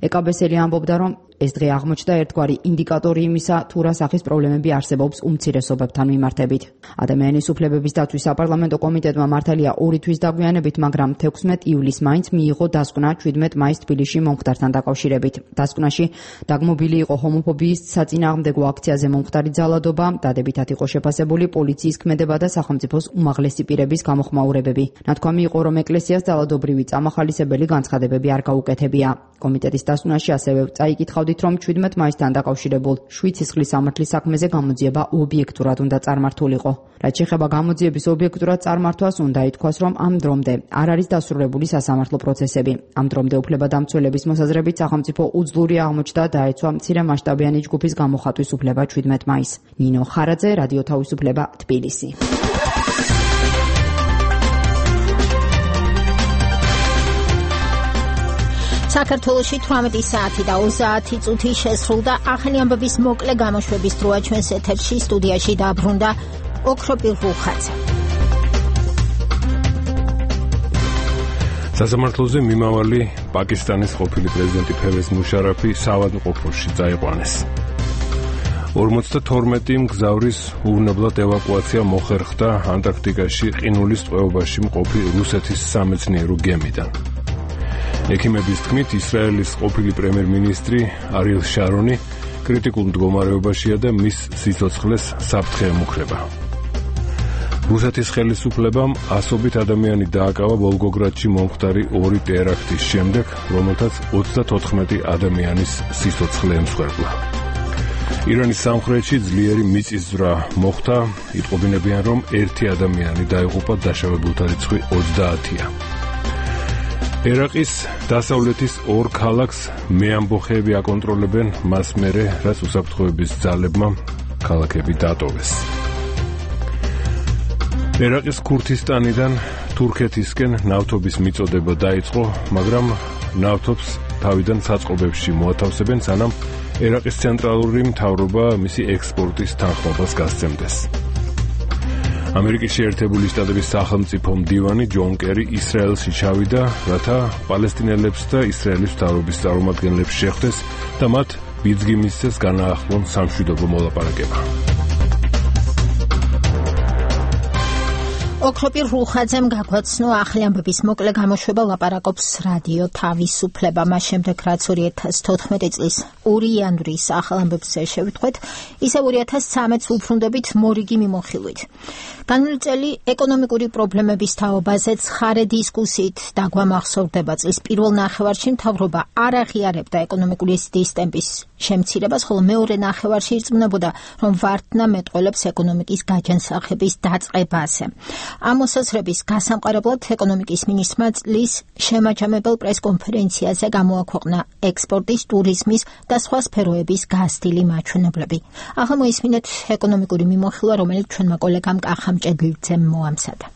ეკაბესელი ამბობდა, რომ ეს დღე აღმოჩნდა ერთგვარი ინდიკატორი იმისა, თუ რა სახის პრობლემები არსებობს უმცირესობებთან მიმართებით. ადამიანის უფლებების დაცვის საპარლამენტო კომიტეტმა მართალია ორი თვის დაგვიანებით, მაგრამ თექვსმეტ ივლისს მაინც მიიღო დასკვნა შვიდმეტ მაისს თბილისში მომხდართან დაკავშირებით. დასკვნაში დაგმობილი იყო ჰომოფობიის საწინააღმდეგო აქციაზე მომხდარი ძალადობა, დადებითად იყო შეფასებული პოლიციის ქმედება და სახელმწიფოს უმაღლესი პირების გამოხმაურებები. ნათქვამი იყო, რომ ეკლესიას ძალადობრივი წამახალისებელი განცხადებები არ გაუკეთებია. კომიტეტის დასკვნაში ასევე წაიკითხავდით, რომ შვიდმეტ მაისთან დაკავშირებულ შვიდსისხლის სამართლის საქმეზე გამოძიება ობიექტურად უნდა წარმართულიყო. რაც შეეხება გამოძიების ობიექტურად წარმართვას, უნდა ითქვას, რომ ამ დრომდე არ არის დასრულებული სასამართლო პროცესები. ამ დრომდე უფლებადამცველების მოსაზრებით სახელმწიფო უძლური აღმოჩნდა დაეცვა მცირე მასშტაბიანი ჯგუფის გამოხატვის უფლება შვიდმეტ მაისს. ნინო ხარაძე, რადიო თავისუფლება, თბილისი. საქართველოში თვრამეტი საათი და ოცდაათი წუთი შესრულდა. ახალი ამბების მოკლე გამოშვების დროა ჩვენს ეთერში. სტუდიაში დაბრუნდა ოქროპირ რუხაძე. სასამართლოზე მიმავალი პაკისტანის ყოფილი პრეზიდენტი ფერვეზ მუშარაფი საავადმყოფოში წაიყვანეს. ორმოცდათორმეტი მგზავრის უვნებლად ევაკუაცია მოხერხდა ანტარქტიკაში ყინულის ტყვეობაში მყოფი რუსეთის სამეცნიერო გემიდან. ექიმების თქმით, ისრაელის ყოფილი პრემიერ-მინისტრი არიელ შარონი კრიტიკულ მდგომარეობაშია და მის სიცოცხლეს საფრთხე ემუქრება. რუსეთის ხელისუფლებამ ასობით ადამიანი დააკავა ვოლგოგრადში მომხდარი ორი ტერაქტის შემდეგ, რომელთაც ოცდათოთხმეტი ადამიანის სიცოცხლე ემსხვერპლა. ირანის სამხრეთში ძლიერი მიწისძვრა მოხდა, იტყობინებიან, რომ ერთი ადამიანი დაიღუპა, დაშავებულთა რიცხვი ოცდაათია. ერაყის დასავლეთის ორ ქალაქს მეამბოხეები აკონტროლებენ, მას მერე, რაც უსაფრთხოების ძალებმა ქალაქები დატოვეს. ერაყის ქურთისტანიდან თურქეთისკენ ნავთობის მიწოდება დაიწყო, მაგრამ ნავთობს თავიდან საწყობებში მოათავსებენ, სანამ ერაყის ცენტრალური მთავრობა მისი ექსპორტის თანხმობას გასცემდეს. ამერიკის შეერთებული შტატების სახელმწიფო მდივანი ჯონ კერი ისრაელში ჩავიდა, რათა პალესტინელებს და ისრაელის მთავრობის წარმომადგენლებს შეხვდეს და მათ ბიძგი მისცეს განაახლონ სამშვიდობო მოლაპარაკება. ოქროპირ რუხაძემ გაგვაცნო ახალი ამბების მოკლე გამოშვება, ლაპარაკობს რადიო თავისუფლება. მას შემდეგ, რაც ორი ათას თოთხმეტი წლის ორი იანვრის ახალ ამბებს შევიტყვეთ, ისევ ორი ათას ცხრამეტს უბრუნდებით მორიგი მიმოხილვით. განვლილი წელი ეკონომიკური პრობლემების თაობაზე ცხარე დისკუსიით დაგვამახსოვრდება. წლის პირველ ნახევარში მთავრობა არ აღიარებდა ეკონომიკური ზრდის ტემპის შემცირებას, ხოლო მეორე ნახევარში ირწმუნებოდა, რომ ვარდნა მეტყველებს ეკონომიკის გაჯანსაღების დაწყებაზე. ამ მოსაზრების გასამყარებლად ეკონომიკის მინისტრმა წლის შემაჯამებელ პრესკონფერენციაზე გამოაქვეყნა ექსპორტის, ტურიზმის და სხვა სფეროების გაზრდილი მაჩვენებლები. ახლა მოისმინეთ ეკონომიკური მიმოხილვა, რომელიც ჩვენმა კოლეგამ კახა მჭედლიძემ მოამზადა.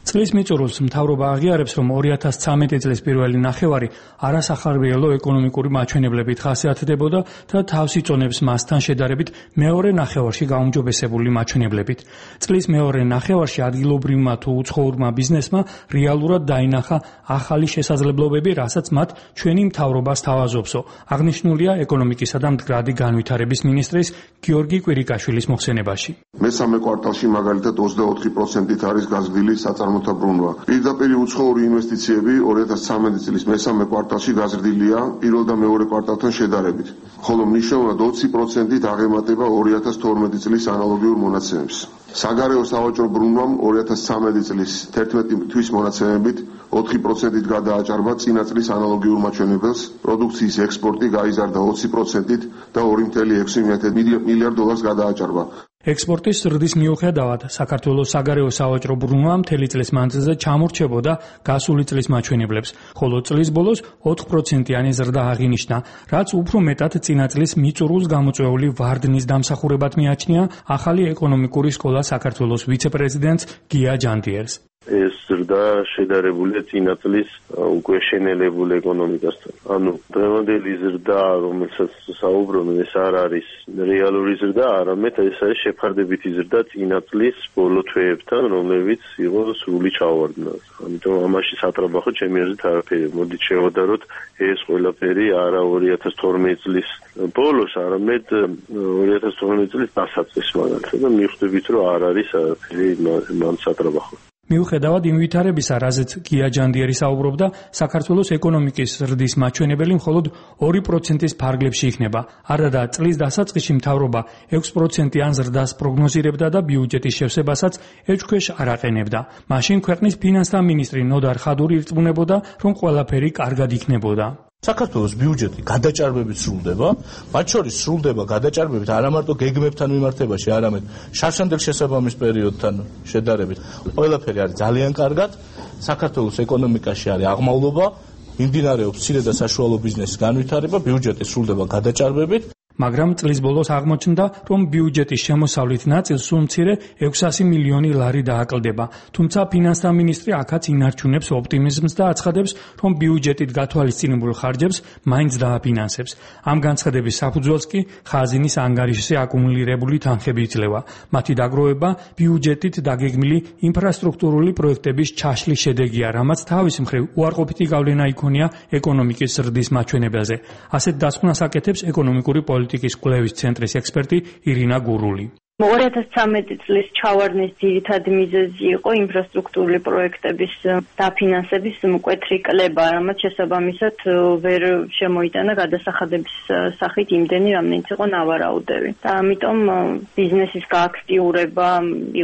წლის მიწურულს მთავრობა აღიარებს, რომ ორი ათას ცხრამეტი წლის პირველი ნახევარი არასახარბიელო ეკონომიკური მაჩვენებლებით ხასიათდებოდა და თავს იწონებს მასთან შედარებით მეორე ნახევარში გაუმჯობესებული მაჩვენებლებით. წლის მეორე ნახევარში ადგილობრივმა თუ უცხოურმა ბიზნესმა რეალურად დაინახა ახალი შესაძლებლობები, რასაც მათ ჩვენი მთავრობა სთავაზობსო. აღნიშნულია ეკონომიკისა და მდგრადი განვითარების მინისტრის გიორგი კვირიკაშვილის მოხსენებაში. მესამე კვარტალში მაგალითად ოცდაოთხი პროცენტით არის გაზრდილი საწარმოთა ბრუნვა. პირდაპირ უცხოური ინვესტიციები ორი ათას ცხრამეტი წლის მესამე კვარტალში გაზრდილია პირველ და მეორე კვარტალთან შედარებით, ხოლო მნიშვნელოვნად ოცი პროცენტით აღემატება ორი ათას თორმეტი წლის ანალოგიურ მონაცემებს. საგარეო სავაჭრო ბრუნვამ ორი ათას ცხრამეტი წლის თერთმეტი თვის მონაცემებით ოთხი პროცენტით გადააჭარბა წინა წლის ანალოგიურ მაჩვენებელს, პროდუქციის ექსპორტი გაიზარდა ოცი პროცენტით და ორი წელი ექვსი მილიარდ დოლარს გადააჭარბა. ექსპორტის ზრდის მიუხედავად, საქართველოს საგარეო სავაჭრო ბრუნვა მთელი წლის მანძილზე ჩამორჩებოდა გასული წლის მაჩვენებლებს, ხოლო წლის ბოლოს ოთხ პროცენტიანი ზრდა აღინიშნა, რაც უფრო მეტად წინა წლის მიწურულს გამოწვეული ვარდნის დამსახურებად მიაჩნია ახალი ეკონომიკური სკოლა საქართველოს ვიცე-პრეზიდენტს გია ჯანდიერს. ეს ზრდა შედარებულია წინა წლის უკვე შენელებულ ეკონომიკასთან. ანუ დღევანდელი ზრდა, რომელსაც საუბრობენ, ეს არ არის რეალური ზრდა, არამედ ეს არის შეფარდებითი ზრდა წინა წლის ბოლო თვეებთან, რომლებიც იყო სრული ჩავარდნა. ამიტომ ამაში სატრაბახო ჩემი აზრით არაფერი. მოდით შევადაროთ ეს ყველაფერი არა ორი ათას თორმეტი წლის ბოლოს, არამედ ორი ათას თორმეტი წლის დასაწყისს მაგალითად და მიხვდებით, რომ არ არის არაფერი მან სატრაბახო. მიუხედავად იმ ვითარებისა, რაზეც გია ჯანდიერი საუბრობდა, საქართველოს ეკონომიკის ზრდის მაჩვენებელი მხოლოდ ორი პროცენტის ფარგლებში იქნება. არადა წლის დასაწყისში მთავრობა ექვს პროცენტიან ზრდას პროგნოზირებდა და ბიუჯეტის შევსებასაც ეჭქვეშ არ აყენებდა. მაშინ ქვეყნის ფინანსთა მინისტრი ნოდარ ხადური ირწმუნებოდა, რომ ყველაფერი კარგად იქნებოდა. საქართველოს ბიუჯეტი გადაჭარბებით სრულდება, მათ შორის სრულდება გადაჭარბებით არა მარტო გეგმებთან მიმართებაში, არამედ შარშანდელ შესაბამის პერიოდთან შედარებით. ყველაფერი არის ძალიან კარგად, საქართველოს ეკონომიკაში არის აღმავლობა, მიმდინარეობს მცირე და საშუალო ბიზნესის განვითარება, ბიუჯეტი სრულდება გადაჭარბებით. მაგრამ წლის ბოლოს აღმოჩნდა, რომ ბიუჯეტის შემოსავლით ნაწილს სულ მცირე ექვსასი მილიონი ლარი დააკლდება. თუმცა ფინანსთა მინისტრი აქაც ინარჩუნებს ოპტიმიზმს და აცხადებს, რომ ბიუჯეტით გათვალისწინებულ ხარჯებს მაინც დააფინანსებს. ამ განცხადების საფუძველს კი ხაზინის ანგარიშზე აკუმულირებული თანხები იძლევა. მათი დაგროვება ბიუჯეტით დაგეგმილი ინფრასტრუქტურული პროექტების ჩაშლის შედეგია, რამაც თავის მხრივ უარყოფითი გავლენა იქონია ეკონომიკის ზრდის მაჩვენებელზე. ასეთ დასკვნას აკეთებს ეკონომიკური პოლიტიკის კვლევის ცენტრის ექსპერტი ირინა გურული. ორი ათას ცხრამეტი წლის ჩავარდნის ძირითადი მიზეზი იყო ინფრასტრუქტურული პროექტების დაფინანსების მკვეთრი კლება, რამაც შესაბამისად ვერ შემოიტანა გადასახადების სახით იმდენი, რამდენიც იყო ნავარაუდები. და ამიტომ ბიზნესის გააქტიურება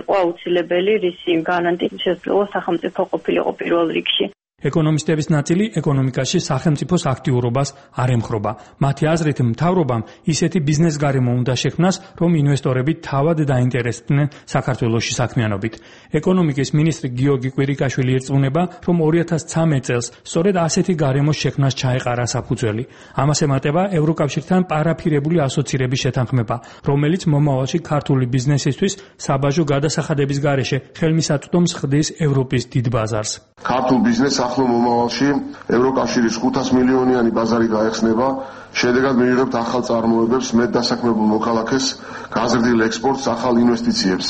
იყო აუცილებელი, რისი გარანტიის შესაძლოა სახელმწიფო ყოფილიყო პირველ რიგში. ეკონომისტების ნაწილი ეკონომიკაში სახელმწიფოს აქტიურობას არ ემხრობა. მათი აზრით, მთავრობამ ისეთი ბიზნეს გარემო უნდა შექმნას, რომ ინვესტორები თავად დაინტერესდნენ საქართველოში საქმიანობით. ეკონომიკის მინისტრი გიორგი კვირიკაშვილი ირწმუნება, რომ ორი ათას ცხრამეტ წელს სწორედ ასეთი გარემოს შექმნას ჩაეყარა საფუძველი. ამას ემატება ევროკავშირთან პარაფირებული ასოცირების შეთანხმება, რომელიც მომავალში ქართული ბიზნესისთვის საბაჟო გადასახადების გარეშე ხელმისაწვდომს ხდის ევროპის დიდ ბაზარს. ქართულ ბიზნესს ახლო მომავალში ევროკავშირის ხუთას მილიონიანი ბაზარი გაეხსნება, შედეგად მივიღებთ ახალ წარმოებებს, მეტ დასაქმებულ მოქალაქეს, გაზრდილ ექსპორტს, ახალ ინვესტიციებს.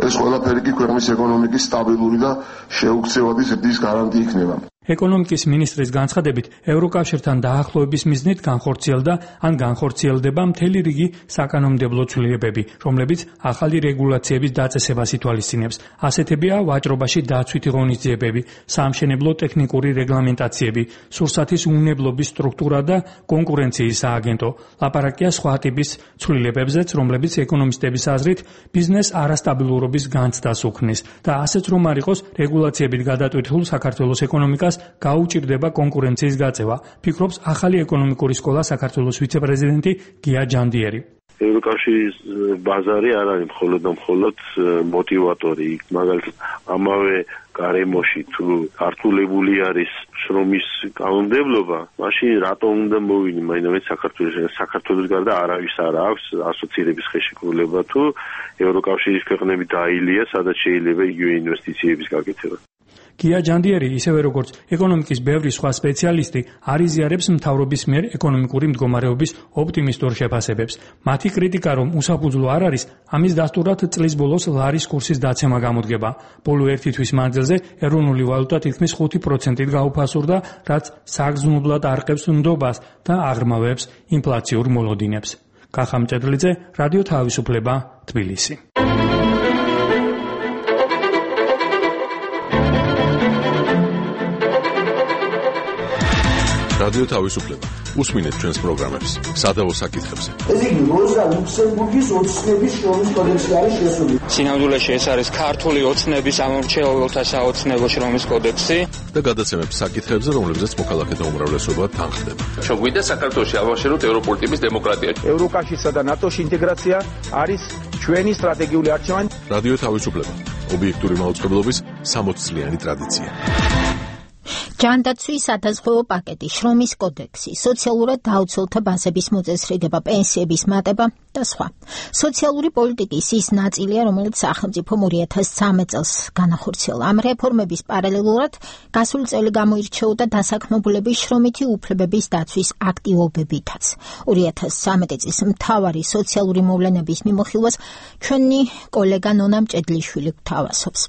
ეს ყველაფერი კი ქვეყნის ეკონომიკის სტაბილური და შეუქცევადი ზრდის გარანტი იქნება. ეკონომიკის მინისტრის განცხადებით, ევროკავშირთან დაახლოების მიზნით განხორციელდა ან განხორციელდება მთელი რიგი საკანონმდებლო ცვლილებები, რომლებიც ახალი რეგულაციების დაწესებას ითვალისწინებს. ასეთებია ვაჭრობაში დაცვითი ღონისძიებები, საამშენებლო ტექნიკური რეგლამენტაციები, სურსათის უნებლობის სტრუქტურა და კონკურენციის სააგენტო. ლაპარაკია სხვა ტიპის ცვლილებებზეც, რომლებიც ეკონომისტების აზრით ბიზნეს არასტაბილურობის განცდას უქმნის და ასეც რომ არ იყოს რეგულაციებით გადატვირთულ საქართველოს ეკონომიკას გაუჭირდება კონკურენციის გაწევა, ფიქრობს ახალი ეკონომიკური სკოლა საქართველოს ვიცე-პრეზიდენტი გია ჯანდიერი. ევროკავშირის ბაზარი არ არის მხოლოდ და მხოლოდ მოტივატორი, მაგალითად ამავე გარემოში თუ ართულებული არის შრომის კანონმდებლობა, მაშინ რატომ უნდა მოვინი მაინც საქართველოს საქართველოს გარდა არავის არ აქვს ასოცირების ხელშეკრულება თუ ევროკავშირის ქვეყნები დაილია, სადაც შეიძლება იგივე ინვესტიციების გაკეთება. გია ჯანდიერი, ისევე როგორც ეკონომიკის ბევრი სხვა სპეციალისტი, არ იზიარებს მთავრობის მიერ ეკონომიკური მდგომარეობის ოპტიმისტურ შეფასებებს. მათი კრიტიკა, რომ უსაფუძვლო არ არის, ამის დასტურად წლის ბოლოს ლარის კურსის დაცემა გამოდგება. ბოლო ერთი თვის მანძილზე ეროვნული ვალუტა თითქმის ხუთი პროცენტით გაუფასურდა, რაც საგრძნობლად არყევს ნდობას და აღრმავებს ინფლაციურ მოლოდინებს. კახა მჭედლიძე, რადიო თავისუფლება, თბილისი. რადიო თავისუფლება. უსმინეთ ჩვენს პროგრამებს სადავო საკითხებზე. ეს იგი როზა ლუქსემბურგის ოცნების შრომის კოდექსი არის შესული. სინამდვილეში ეს არის ქართული ოცნების ამორჩეულთა საოცნებო შრომის კოდექსი და გადაცემებს საკითხებზე, რომლებზეც მოქალაქეთა უმრავლესობა თანხდება. შეგვიდა საქართველოში ავაშეროთ ევროპული ტიპის დემოკრატია. ევროკავშირსა და ნატოში ინტეგრაცია არის ჩვენი სტრატეგიული არჩევანი. რადიო თავისუფლება. ობიექტური მაუწყებლობის სამოცწლიანი ტრადიცია. ჯანდაცვის სადაზღვევო პაკეტი, შრომის კოდექსი, სოციალურად დაუცველთა ბაზების მოწესრიგება, პენსიების მატება და სხვა. სოციალური პოლიტიკის ის ნაწილია, რომელიც სახელმწიფომ ორი ათას ცხრამეტ წელს განახორციელა. ამ რეფორმების პარალელურად გასული წელი გამოირჩეოდა დასაქმებულების შრომითი უფლებების დაცვის აქტივობებითაც. ორი ათას ცხრამეტი წლის მთავარი სოციალური მოვლენების მიმოხილვას ჩვენი კოლეგა ნონა მჭედლიშვილი გვთავაზობს.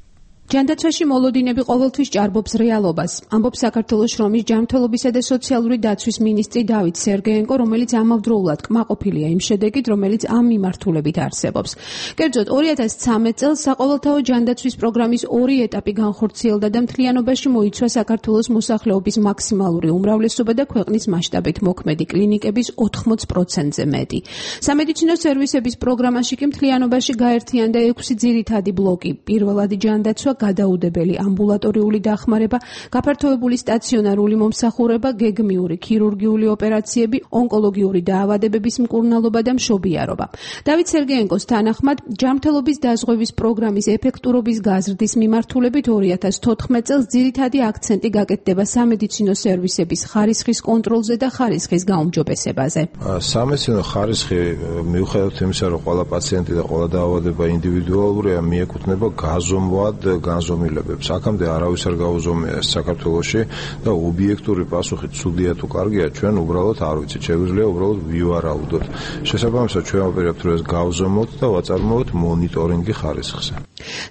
ჯანდაცვაში მოლოდინები ყოველთვის ჭარბობს რეალობას, ამბობს საქართველოს შრომის ჯანმრთელობისა და სოციალური დაცვის მინისტრი დავით სერგეენკო, რომელიც ამავდროულად კმაყოფილია იმ შედეგით, რომელიც ამ მიმართულებით არსებობს. კერძოდ, ორი ათას ცხრამეტ წელს საყოველთაო ჯანდაცვის პროგრამის ორი ეტაპი განხორციელდა და მთლიანობაში მოიცვა საქართველოს მოსახლეობის მაქსიმალური უმრავლესობა და ქვეყნის მასშტაბით მოქმედი კლინიკების ოთხმოც პროცენტზე მეტი. სამედიცინო სერვისების პროგრამაში კი მთლიანობაში გაერთიანდა ექვსი ძირითადი ბლოკი. პირველადი ჯანდაცვა, გადაუდებელი ამბულატორიული დახმარება, გაფართოებული სტაციონარული მომსახურება, გეგმიური ქირურგიული ოპერაციები, ონკოლოგიური დაავადებების მკურნალობა და მშობიარობა. დავით სერგეენკოს თანახმად, ჯანმრთელობის დაზღვევის პროგრამის ეფექტურობის გაზრდის მიმართულებით ორი ათას თოთხმეტ წელს ძირითადი აქცენტი გაკეთდება სამედიცინო სერვისების ხარისხის კონტროლზე და ხარისხის გაუმჯობესებაზე. სამედიცინო ხარისხი მიუხედავად იმისა, რომ ყველა პაციენტი და ყველა დაავადება ინდივიდუალურია, მიეკუთვნება გაზომვად განზომილებებს. აქამდე არავის არ გაუზომია საქართველოში და ობიექტური პასუხი ცუდია თუ კარგია, ჩვენ უბრალოდ არ ვიცით. შეგვიძლია უბრალოდ ვივარაუდოთ. შესაბამისად, ჩვენ ვაპირებთ, რომ ეს გავზომოთ და ვაწარმოოთ მონიტორინგი ხარისხზე.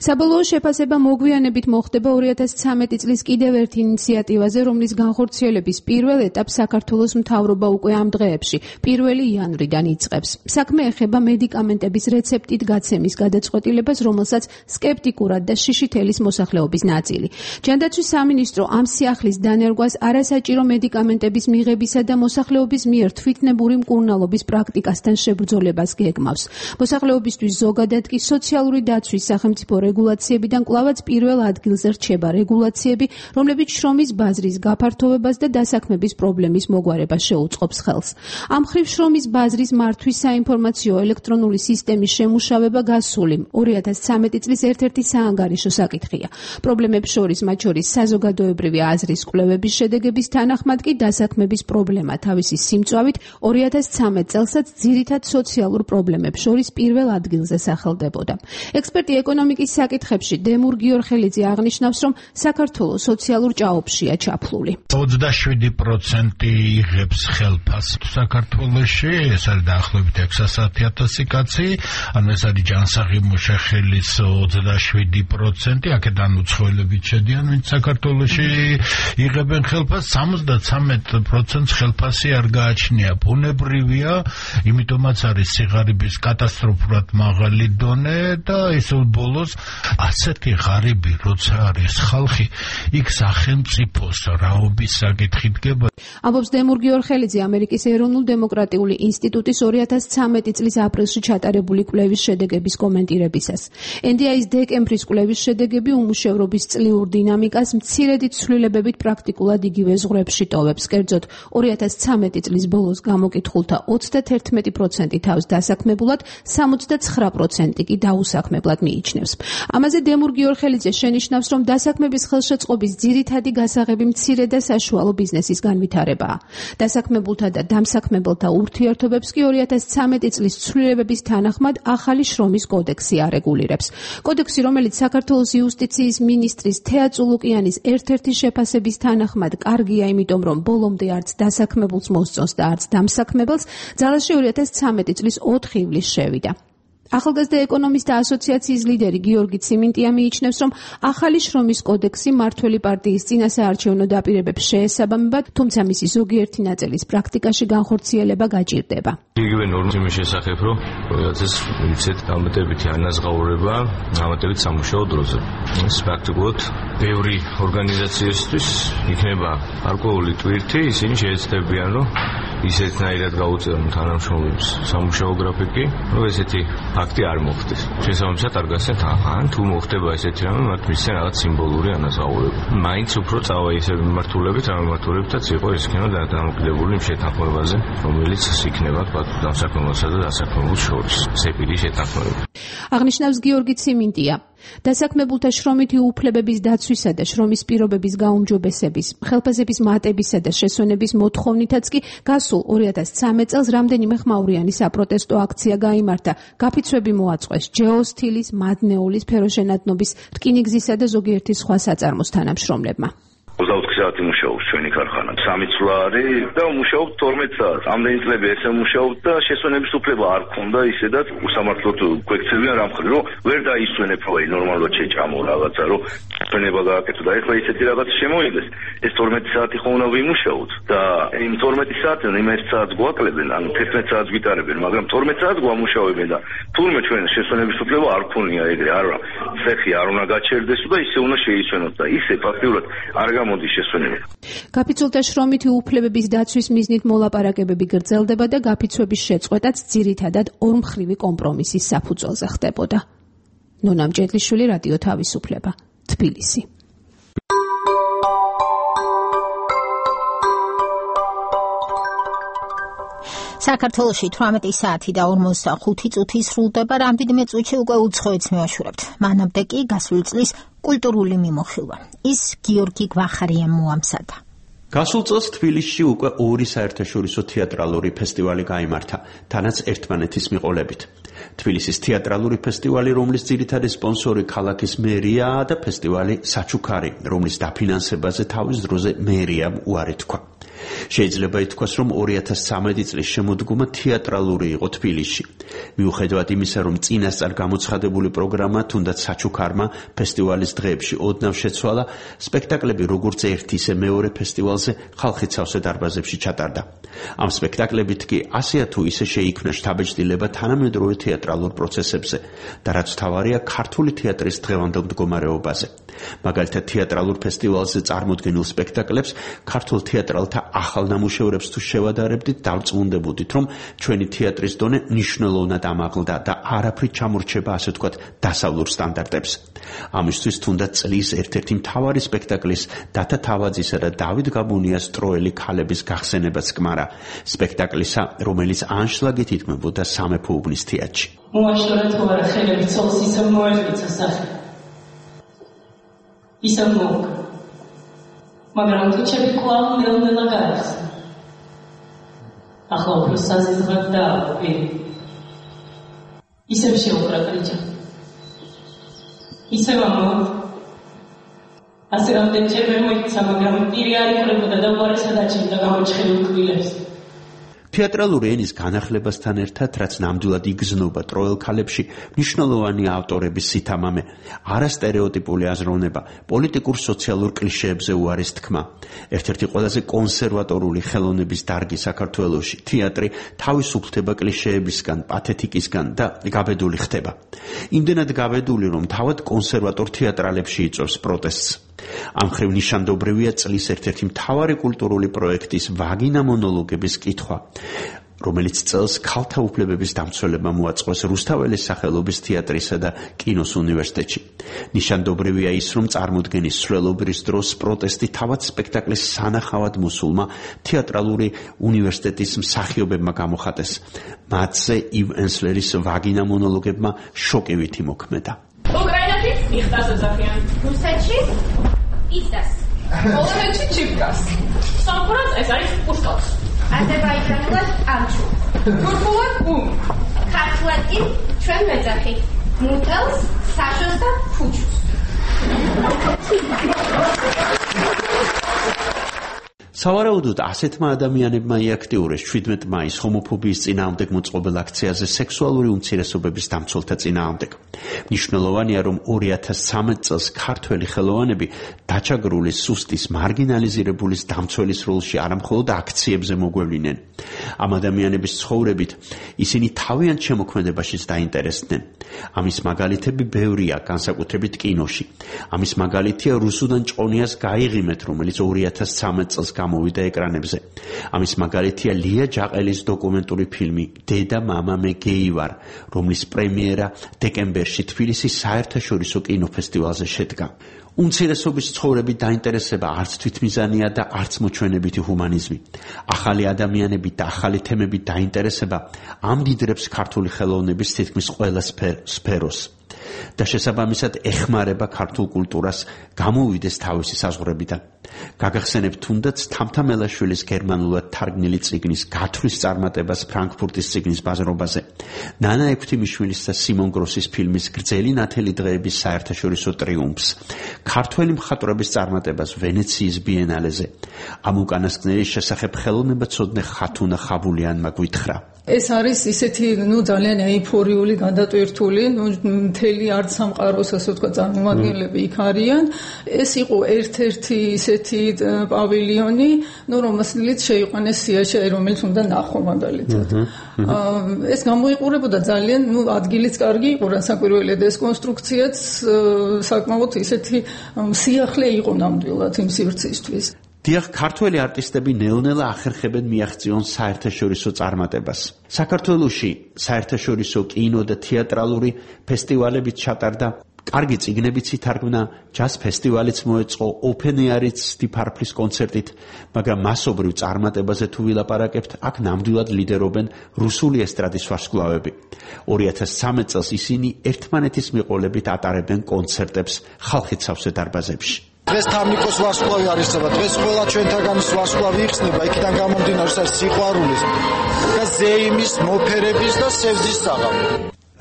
საბოლოო შეფასება მოგვიანებით მოხდება ორი ათას ცხრამეტი წლის კიდევ ერთ ინიციატივაზე, რომლის განხორციელების პირველ ეტაპს საქართველოს მთავრობა უკვე ამ დღეებში, პირველი იანვრიდან იწყებს. საქმე ეხება მედიკამენტების რეცეპტით გაცემის გადაწყვეტილებას, რომელსაც სკეპტიკურად და შიშითელის მოსახლეობის ნაწილი. ჯანდაცვის სამინისტრო ამ სიახლის დანერგვას არასაჭირო მედიკამენტების მიღებისა და მოსახლეობის მიერ თვითნებური მკურნალობის პრაქტიკასთან შებრძოლებას გეგმავს. მოსახლეობისთვის ზოგადად კი სოციალური დაცვის სახელმწიფო რეგულაციებიდან კვლავაც პირველ ადგილზე რჩება რეგულაციები, რომლებიც შრომის ბაზრის გაფართოვებას და დასაქმების პრობლემის მოგვარებას შეუწყობს ხელს. ამ მხრივ შრომის ბაზრის მართვის საინფორმაციო ელექტრონული სისტემის შემუშავება გასული ორი ათას ცხრამეტი წლის ერთ-ერთი საანგარიშო საკითხია. პრობლემებს შორის მათ შორის საზოგადოებრივი აზრის კვლევების შედეგების თანახმად კი დასაქმების პრობლემა თავისი სიმწვავით ორი ათას ცხრამეტ წელსაც ძირითად სოციალურ პრობლემებს შორის პირველ ადგილზე სახელდებოდა. ექსპერტი ეკონომიკის საკითხებში დემურ გიორხელიძე აღნიშნავს, რომ საქართველოს სოციალურ ჭაობშია ჩაფლული. ოცდაშვიდი პროცენტი იღებს ხელფასს საქართველოში, ეს არის დაახლოებით ექვსასი ათასი კაცი, ანუ ეს არის ჯანსაღი მუშახელის ოცდაშვიდი პროცენტი, აქედან უცხოელები შედიან, ვინც საქართველოში იღებენ ხელფასს, სამოცდაცამეტ პროცენტს ხელფასი არ გააჩნია. ბუნებრივია, იმიტომაც არის სიღარიბის კატასტროფულად მაღალი დონე და ისევ ბოლოს ასეთი ღარიბი როცა არის ხალხი, იქ სახელმწიფოს რაობის საკითხი დგება. ამბობს დემურ გიორხელიძე ამერიკის ეროვნულ დემოკრატიული ინსტიტუტის ორი ათას ცხრამეტი წლის აპრილში ჩატარებული კვლევის შედეგების კომენტირებისას. ენ დი აის დეკემბრის კვლევის შედეგები უმუშევრობის წლიურ დინამიკას მცირედი ცვლილებებით პრაქტიკულად იგივე ზღვრებში ტოვებს. კერძოდ, ორი ათას ცხრამეტი წლის ბოლოს გამოკითხულთა ოცდათერთმეტი პროცენტი თავს დასაქმებულად, სამოცდაცხრა პროცენტი კი დაუსაქმებლად მიიჩნევს. ამაზე დემურ გიორხელიძე შენიშნავს, რომ დასაქმების ხელშეწყობის ძირითადი გასაღები მცირე და საშუალო ბიზნესის განვითარებაა. დასაქმებულთა და დამსაქმებელთა ურთიერთობებს კი ორი ათას ცხრამეტი წლის ცვლილებების თანახმად ახალი შრომის კოდექსი არეგულირებს. კოდექსი, რომელიც საქართველოს იუსტიციის მინისტრის თეა წულუკიანის ერთ-ერთი შეფასების თანახმად კარგია, იმიტომ რომ ბოლომდე არც დასაქმებულს მოსწონს და არც დამსაქმებელს, ძალაში ორი ათას ცხრამეტი წლის ოთხი ივლისს შევიდა. ახალგაზრდა ეკონომისტთა ასოციაციის ლიდერი გიორგი ციმინტია მიიჩნევს, რომ ახალი შრომის კოდექსი მართველი პარტიის წინასაარჩევნო დაპირებებს შეესაბამება, თუმცა მისი ზოგიერთი ნაწილის პრაქტიკაში განხორციელება გაჭირდება. იგივე ნორმის შესახებ, რომ ეს ვიცით დამატებითი ანაზღაურება, დამატებით სამუშაო დროზე. ეს პრაქტიკულად ბევრი ორგანიზაციისთვის იქნება გარკვეული ტვირთი, ისინი შეეცდებიან, რომ ისეთნაირად გაუწევენ თანამშრომლებს სამუშაო გრაფიკი, რომ ესეთი ფაქტი არ მოხდეს. შესაბამისად არ გასცენ ან თუ მოხდება ესეთი რამე, მათ მისცენ რაღაც სიმბოლური ანაზღაურება. მაინც უფრო წავა ისე მიმართულებით, რა მიმართულებითაც იყო ეს იქნება დამოკიდებული იმ შეთანხმებაზე, რომელიც იქნება დამსაქმებელსა და დასაქმებულს შორის. სეპირი შეთანხმება. აღნიშნავს გიორგი ციმინტია. დასაქმებულთა შრომითი უფლებების დაცვისა და შრომის პირობების გაუმჯობესების, ხელფასების მატებისა და შესვენების მოთხოვნითაც კი გასულ ორი ათას ცხრამეტ წელს რამდენიმე ხმაურიანი საპროტესტო აქცია გაიმართა. გაფიცვები მოაწყვეს ჯეოსთილის, მადნეულის, ფეროშენადნობის, რკინიგზისა და ზოგიერთი სხვა საწარმოს თანამშრომლებმა. ოცდაოთხი საათი მუშაობს ჩვენი ქარხანა. სამი წლა არის და მუშაობ თორმეტ საათს. ამდენი წლები ესე მუშაობ და შესვენების უფლება არ ქონდა, ისედაც უსამართლოდ გვექცევიან რამხრივ, რომ ვერ დაისვენებ, რომ ნორმალურად შეჭამო რაღაცა, რომ ჩვენება გააკეთო და ეხლა ისეთი რაღაც შემოიღეს. ეს თორმეტი საათი ხომ უნდა ვიმუშაოთ და იმ თორმეტი საათიდან იმ ერთ საათს გვაკლებენ, ანუ თერთმეტ საათს გვიტარებენ, მაგრამ თორმეტ საათს გვამუშავებენ და თურმე ჩვენ შესვენების უფლება არ ქონია ეგრე, არა, ცეხი არ უნდა გაჩერდესო და ისე უნდა შეისვენოთ და ისე ფაქტიურად არ გამოდის შესვენება. გაფიცულთა შრომითი უფლებების დაცვის მიზნით მოლაპარაკებები გრძელდება და გაფიცვების შეწყვეტაც ძირითადად ორმხრივი კომპრომისის საფუძველზე ხდებოდა. ნონა მჭედლიშვილი, რადიო თავისუფლება, თბილისი. საქართველოში თვრამეტი საათი და ორმოცდახუთი წუთი სრულდება, რამდენიმე წუთში უკვე უცხოეთს მევაშურებთ. მანამდე კი გასული წლის კულტურული მიმოხილვა. ის გიორგი გვახარიამ მოამზადა. გასულ წელს თბილისში უკვე ორი საერთაშორისო თეატრალური ფესტივალი გაიმართა, თანაც ერთმანეთის მიყოლებით. თბილისის თეატრალური ფესტივალი, რომლის ძირითადი სპონსორი ქალაქის მერიაა და ფესტივალი საჩუქარი, რომლის დაფინანსებაზე თავის დროზე მერიამ უარი თქვა. შეიძლება ითქვას, რომ ორი ათას ცხრამეტი წლის შემოდგომა თეატრალური იყო თბილისში. მიუხედავად იმისა, რომ წინასწარ გამოცხადებული პროგრამა თუნდაც საჩუქარმა ფესტივალის დღეებში ოდნავ შეცვალა, სპექტაკლები როგორც ერთ ისე მეორე ფესტივალზე ხალხის სავსე დარბაზებში ჩატარდა. ამ სპექტაკლებით კი ასეა თუ ისე შეიქმნა შთაბეჭდილება თანამედროვე თეატრალურ პროცესებზე და რაც თავარია ქართული თეატრის დღევანდელ მდგომარეობაზე. მაგალითად თეატრალურ ფესტივალზე წარმოდგენილ სპექტაკლებს ქართულ თეატრალთა ახალ ნამუშევრებს თუ შევადარებდით, დავწმუნდებოდით, რომ ჩვენი თეატრის დონე მნიშვნელოვნად ამაღლდა და არაფრით ჩამორჩება, ასე ვთქვათ, დასავლურ სტანდარტებს. ამისთვის თუნდაც წლის ერთ-ერთი მთავარი სპექტაკლის დათა თავაძისა და დავით გაბუნიას ტროელი ქალების გახსენებაც გმარა, სპექტაკლისა, რომელიც ანშლაგით ითქმებოდა სამეფო უბნის თეატრში. მოაშორა თუ არა ხელები ცოლს ისევ მოერგიცა სახე. ისევ მოუგა. მაგრამ თუჩები კვლავ ნელ-ნელა გაიხსნა. ახლა უფრო საზიზღად დააყვი. ისევ შეუყრა კრიჭა. ისევ ამოვ. ასე რამდენჯერ ვერ მოიქცა, მაგრამ პირი არ იყრებოდა და უარესად აჩენდა გამოჩხერულ კბილებს. თეატრალური ენის განახლებასთან ერთად, რაც ნამდვილად იგრძნობა ტროელ ქალებში, მნიშვნელოვანი ავტორების სითამამე, არასტერეოტიპული აზროვნება, პოლიტიკურ სოციალურ კლიშეებზე უარეს თქმა. ერთ-ერთი ყველაზე კონსერვატორული ხელოვნების დარგი საქართველოში, თეატრი თავისუფლდება კლიშეებისგან, პათეტიკისგან და გაბედული ხდება. იმდენად გაბედული, რომ თავად კონსერვატორ თეატრალებში იწვევს პროტესტს. ამ ხრივ ნიშანდობრივია წლის ერთ-ერთი მთავარი კულტურული პროექტის ვაგინა მონოლოგების კითხვა, რომელიც წელს ქალთა უფლებების დამცველებმა მოაწყვეს რუსთაველის სახელობის თეატრისა და კინოს უნივერსიტეტში. ნიშანდობრივია ის, რომ წარმოდგენის სრულობრის დროს პროტესტი თავად სპექტაკლის სანახავად მოსულმა თეატრალური უნივერსიტეტის მსახიობებმა გამოხატეს. მათზე ივ ენსლერის ვაგინა მონოლოგებმა შოკივით იმოქმედა. უკრაინაში იხტას ოძახიან. რუსეთში იცდას. პოლონეთში ჩიპკას. სამფრაც ეს არის პუშკავს. აზერბაიჯანულად ამჩუ. თურქულად უმ. ქართულად კი ჩვენ მეძახი. მუთელს, საშოს და ფუჩუს. სავარაუდოდ ასეთმა ადამიანებმა იაქტიურეს შვიდმეტ მაისს ჰომოფობიის წინააღმდეგ მოწყობილ აქციაზე სექსუალური უმცირესობების დამცველთა წინააღმდეგ. მნიშვნელოვანია, რომ ორი ათას ცხრამეტ წელს ქართველი ხელოვანები დაჩაგრული სუსტის მარგინალიზირებულის დამცველის როლში არამხოლოდ აქციებზე მოგვევლინენ. ამ ადამიანების ცხოვრებით ისინი თავიანთ შემოქმედებაშიც დაინტერესდნენ. ამის მაგალითები ბევრია, განსაკუთრებით კინოში. ამის მაგალითია რუსუდან ჭყონიას გაიღიმეთ, რომელიც ორი ათას ცხრამეტ წელს გამოვიდა ეკრანებზე. ამის მაგალითია ლია ჯაყელის დოკუმენტური ფილმი დედა მამა მე გეი ვარ, რომლის პრემიერა დეკემბერში თბილისის საერთაშორისო კინოფესტივალზე შედგა. უმცირესობის ცხოვრებით დაინტერესება არც თვითმიზანია და არც მოჩვენებითი ჰუმანიზმი. ახალი ადამიანებით და ახალი თემებით დაინტერესება ამდიდრებს ქართული ხელოვნების თითქმის ყველა სფეროს და შესაბამისად ეხმარება ქართულ კულტურას გამოვიდეს თავისი საზღვრებიდან. გაგახსენებთ თუნდაც თამთა მელაშვილის გერმანულად თარგმნილი წიგნის გათვლის წარმატებას ფრანკფურტის წიგნის ბაზრობაზე, ნანა ექვთიმიშვილის და სიმონ გროსის ფილმის გრძელი ნათელი დღეების საერთაშორისო ტრიუმფს, ქართველი მხატვრების წარმატებას ვენეციის ბიენალეზე. ამ უკანასკნელის შესახებ ხელოვნებაცოდნე ხათუნა ხაბულიანმა გვითხრა. ეს არის ისეთი, ნუ ძალიან ეიფორიული, გადატვირთული, ნუ მთელი არც სამყაროს ასე ვთქვა წარმომადგენლები იქ არიან. ეს იყო ერთ-ერთი ისეთი პავილიონი, ნუ რომელსაც შეიყვანეს სიაში, რომელიც უნდა ნახო მაგალითად. ეს გამოიყურებოდა ძალიან, ნუ ადგილიც კარგი იყო, რასაკვირველია და ეს კონსტრუქციაც საკმაოდ ისეთი სიახლე იყო ნამდვილად იმ სივრცისთვის. დიახ, ქართველი არტისტები ნელ-ნელა ახერხებენ მიაღწიონ საერთაშორისო წარმატებას. საქართველოში საერთაშორისო კინო და თეატრალური ფესტივალებით ჩატარდა, კარგი წიგნებიც ითარგმნა, ჯაზ ფესტივალიც მოეწყო, ოპენ ეარიც დიფარფლის კონცერტით, მაგრამ მასობრივ წარმატებაზე თუ ვილაპარაკებთ, აქ ნამდვილად ლიდერობენ რუსული ესტრადის ვარსკვლავები. ორი ათას ცხრამეტ წელს ისინი ერთმანეთის მიყოლებით ატარებენ კონცერტებს ხალხით სავსე დარბაზებში. დღეს თამნიკოს ვარსკვლავი არისება, დღეს ყველა ჩვენთაგანის ვარსკვლავი იხსნება, იქიდან გამომდინარე სიყვარულის და ზეიმის, მოფერების და სევდის საღამო.